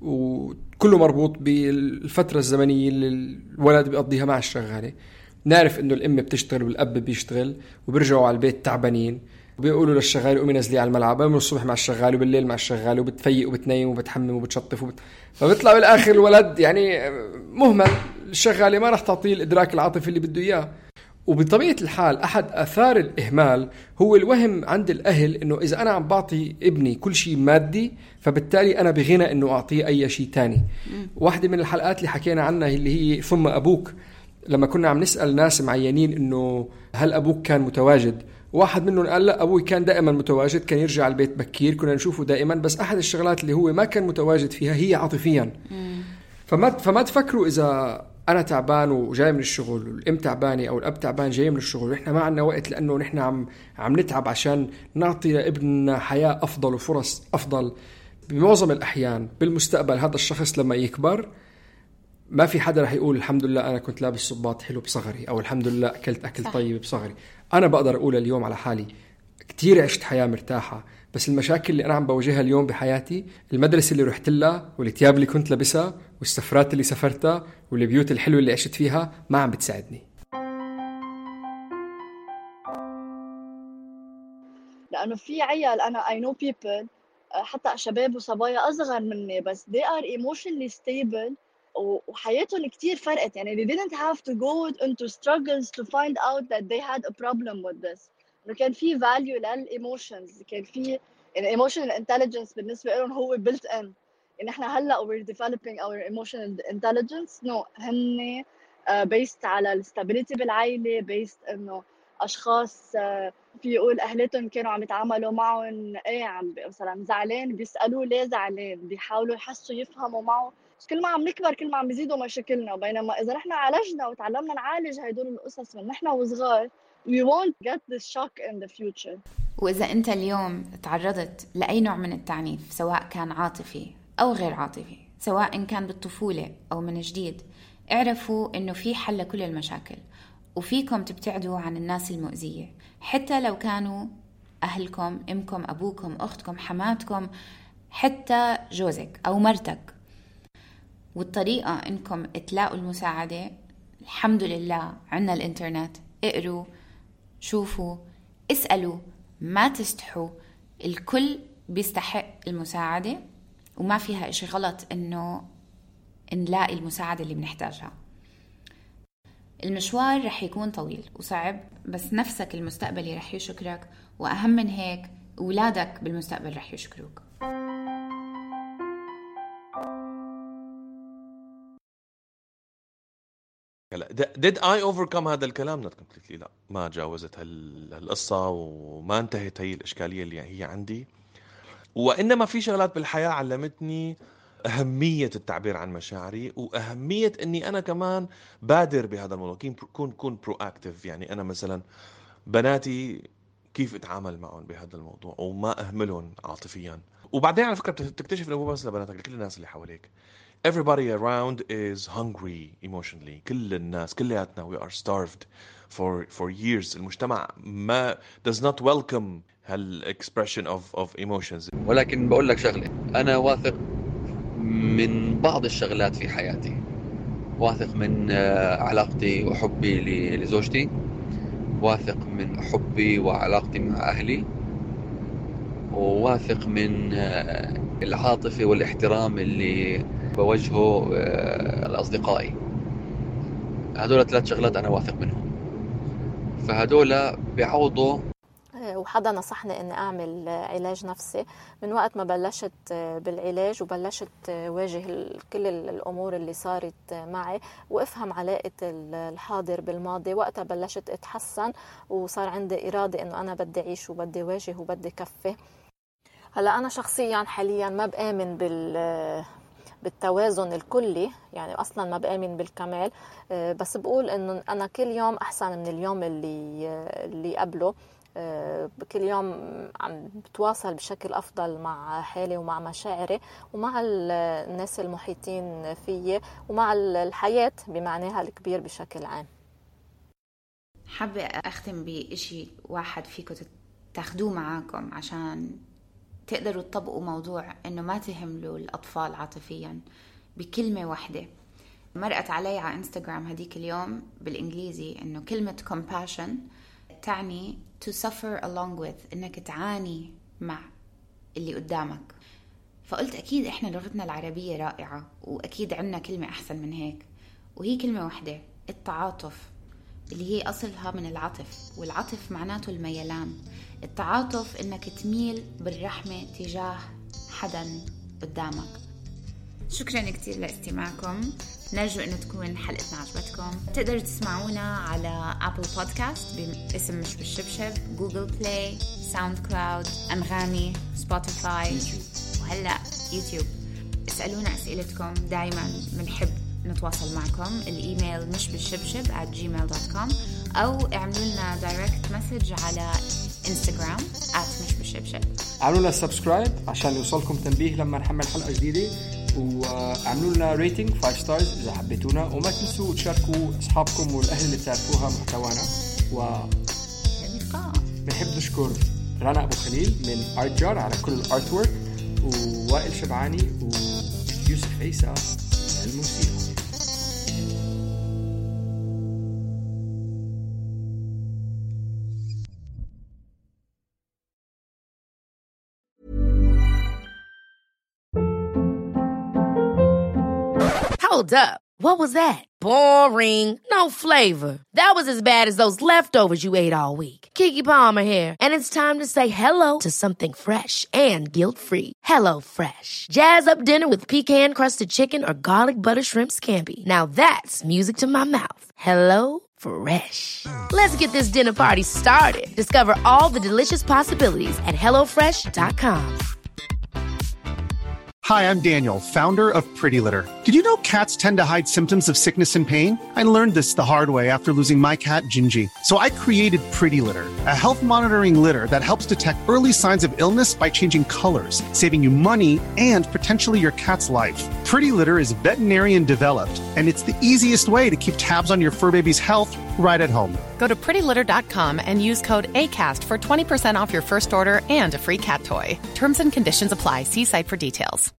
وكله مربوط بالفترة الزمنية اللي الولد بيقضيها مع الشغالة. نعرف إنه الأم بتشتغل والأب بيشتغل وبيرجعوا على البيت تعبانين، وبيقولوا للشغال قومي نزلي على الملعب، من الصبح مع الشغال وبالليل مع الشغال، وبتفيق وبتنيم وبتحمم وبتشطف وبت... فبيطلع بالآخر الولد يعني مهمل. الشغالة ما رح تعطيه الإدراك العاطفي اللي بده إياه. وبطبيعة الحال أحد آثار الإهمال هو الوهم عند الأهل إنه إذا أنا عم بعطي ابني كل شيء مادي فبالتالي أنا بغنى إنه أعطيه أي شيء تاني. واحدة من الحلقات اللي حكينا عنها اللي هي ثم أبوك، لما كنا عم نسأل ناس معينين إنه هل أبوك كان متواجد، واحد منهم قال لا أبوي كان دائما متواجد، كان يرجع البيت بكير، كنا نشوفه دائما، بس أحد الشغلات اللي هو ما كان متواجد فيها هي عاطفيا. فما فما تفكروا إذا أنا تعبان وجاي من الشغل والأم تعبانة أو الأب تعبان جاي من الشغل ونحن ما عنا وقت لأنه نحن عم عم نتعب عشان نعطي لابننا حياة أفضل وفرص أفضل. بمعظم الأحيان بالمستقبل هذا الشخص لما يكبر ما في حدا رح يقول الحمد لله أنا كنت لابس صباط حلو بصغري، أو الحمد لله أكلت أكل طيب بصغري. أنا بقدر أقول اليوم على حالي كتير عشت حياة مرتاحة، بس المشاكل اللي أنا عم بواجهها اليوم بحياتي، المدرسة اللي رحت لها والثياب اللي كنت لابسها والسفرات اللي سافرتها والبيوت الحلوة اللي عشت فيها ما عم بتساعدني. لأنه في عيال أنا I know people حتى شباب وصبايا أصغر مني بس they are emotionally stable وحياتهم كتير فرقت. يعني they didn't have to go into struggles to find out that they had a problem with this. إنه كان في value للemotions، كان في يعني emotional intelligence بالنسبة لهم هو built in. يعني إحنا هلأ we're developing our emotional intelligence no هن uh, based على stability بالعائلة، based إنه أشخاص uh, في يقول أهلتهم كانوا عم يتعاملوا معهم إيه عم مثلا زعلان بيسألوه ليه زعلان، بيحاولوا يحسوا يفهموا معه. كل ما عم نكبر كل ما عم بيزيدوا مشاكلنا، بينما إذا نحن عالجنا وتعلمنا نعالج هيدول القصص من نحن وصغار we won't get this shock in the future. وإذا أنت اليوم تعرضت لأي نوع من التعنيف سواء كان عاطفي أو غير عاطفي، سواء إن كان بالطفولة أو من جديد، اعرفوا إنه في حل لكل المشاكل، وفيكم تبتعدوا عن الناس المؤذية حتى لو كانوا أهلكم، أمكم، أبوكم، أختكم، حماتكم، حتى جوزك أو مرتك. والطريقة إنكم تلاقوا المساعدة الحمد لله عنا الإنترنت، اقروا، شوفوا، اسألوا، ما تستحوا، الكل بيستحق المساعدة وما فيها إشي غلط إنه نلاقي المساعدة اللي بنحتاجها. المشوار رح يكون طويل وصعب، بس نفسك المستقبلي رح يشكرك، وأهم من هيك أولادك بالمستقبل رح يشكروك. did I overcome هذا الكلام؟ not completely. لا، ما جاوزت هالقصة وما انتهت هي الإشكالية اللي هي عندي، وإنما في شغلات بالحياة علمتني أهمية التعبير عن مشاعري، وأهمية أني أنا كمان بادر بهذا الموضوع، كون كون proactive. يعني أنا مثلا بناتي كيف أتعامل معهم بهذا الموضوع وما أهملهم عاطفيا. وبعدين على فكرة بتكتشف أنه مو بس لبناتك، لكل الناس اللي حواليك. Everybody around is hungry emotionally. كل الناس كلياتنا we are starved for for years. المجتمع ما does not welcome هال expression of of emotions. ولكن بقول لك شغلة، أنا واثق من بعض الشغلات في حياتي. واثق من علاقتي وحبي لزوجتي، واثق من حبي وعلاقتي مع أهلي، وواثق من العاطفة والاحترام اللي بوجهه لأصدقائي. هدول ثلاث شغلات أنا واثق منهم، فهدول بيعوضوا. وحدا نصحني اني اعمل علاج نفسي من وقت ما بلشت بالعلاج وبلشت واجه كل الامور اللي صارت معي وافهم علاقة الحاضر بالماضي. وقتها بلشت اتحسن وصار عندي ارادة انه انا بدي اعيش وبدي واجه وبدي كفي. هلا انا شخصيا حاليا ما بآمن بال بالتوازن الكلي، يعني اصلا ما بآمن بالكمال، بس بقول انه انا كل يوم احسن من اليوم اللي اللي قبله. كل يوم عم بتواصل بشكل أفضل مع حالي ومع مشاعري ومع الناس المحيطين فيي ومع الحياة بمعناها الكبير بشكل عام. حابة أختم بإشي واحد فيكم تاخدوه معاكم عشان تقدروا تطبقوا موضوع إنه ما تهملوا الأطفال عاطفيا. بكلمة واحدة مرقت علي على إنستغرام هديك اليوم بالإنجليزي إنه كلمة compassion تعني to suffer along with، إنك تعاني مع اللي قدامك. فقلت أكيد إحنا لغتنا العربية رائعة وأكيد عنا كلمة أحسن من هيك، وهي كلمة واحدة، التعاطف، اللي هي أصلها من العطف، والعطف معناته الميلان. التعاطف إنك تميل بالرحمة تجاه حدا قدامك. شكرا كتير لاستماعكم، نرجو أنه تكون حلقتنا عجبتكم. تقدروا تسمعونا على أبل بودكاست باسم مش بالشبشب، جوجل بلاي، ساوند كلاود، أنغامي، سبوتيفاي، وهلأ يوتيوب. اسألونا أسئلتكم، دايما بنحب نتواصل معكم. الإيميل مش بالشبشب at gmail dot com، أو اعملوا لنا دايركت مسج على انستغرام at مش بالشبشب. اعملوا لنا سبسكرايب عشان يوصلكم تنبيه لما نحمل حلقة جديدة، وعملوا لنا ريتنج خمسة ستارز إذا حبيتونا، وما تنسوا تشاركوا أصحابكم والأهل اللي بتعرفوها محتوانا. و بنحب نشكر رنا أبو خليل من آرت جار على كل الارت وورك، ووائل شبعاني ويوسف عيسى الموسيقى. Hold up. What was that? Boring. No flavor. That was as bad as those leftovers you ate all week. Keke Palmer here, and it's time to say hello to something fresh and guilt-free. Hello Fresh. Jazz up dinner with pecan-crusted chicken or garlic butter shrimp scampi. Now that's music to my mouth. Hello Fresh. Let's get this dinner party started. Discover all the delicious possibilities at hello fresh dot com. Hi, I'm Daniel, founder of Pretty Litter. Did you know cats tend to hide symptoms of sickness and pain? I learned this the hard way after losing my cat, Gingy. So I created Pretty Litter, a health monitoring litter that helps detect early signs of illness by changing colors, saving you money and potentially your cat's life. Pretty Litter is veterinarian developed, and it's the easiest way to keep tabs on your fur baby's health right at home. Go to pretty litter dot com and use code ACAST for twenty percent off your first order and a free cat toy. Terms and conditions apply. See site for details.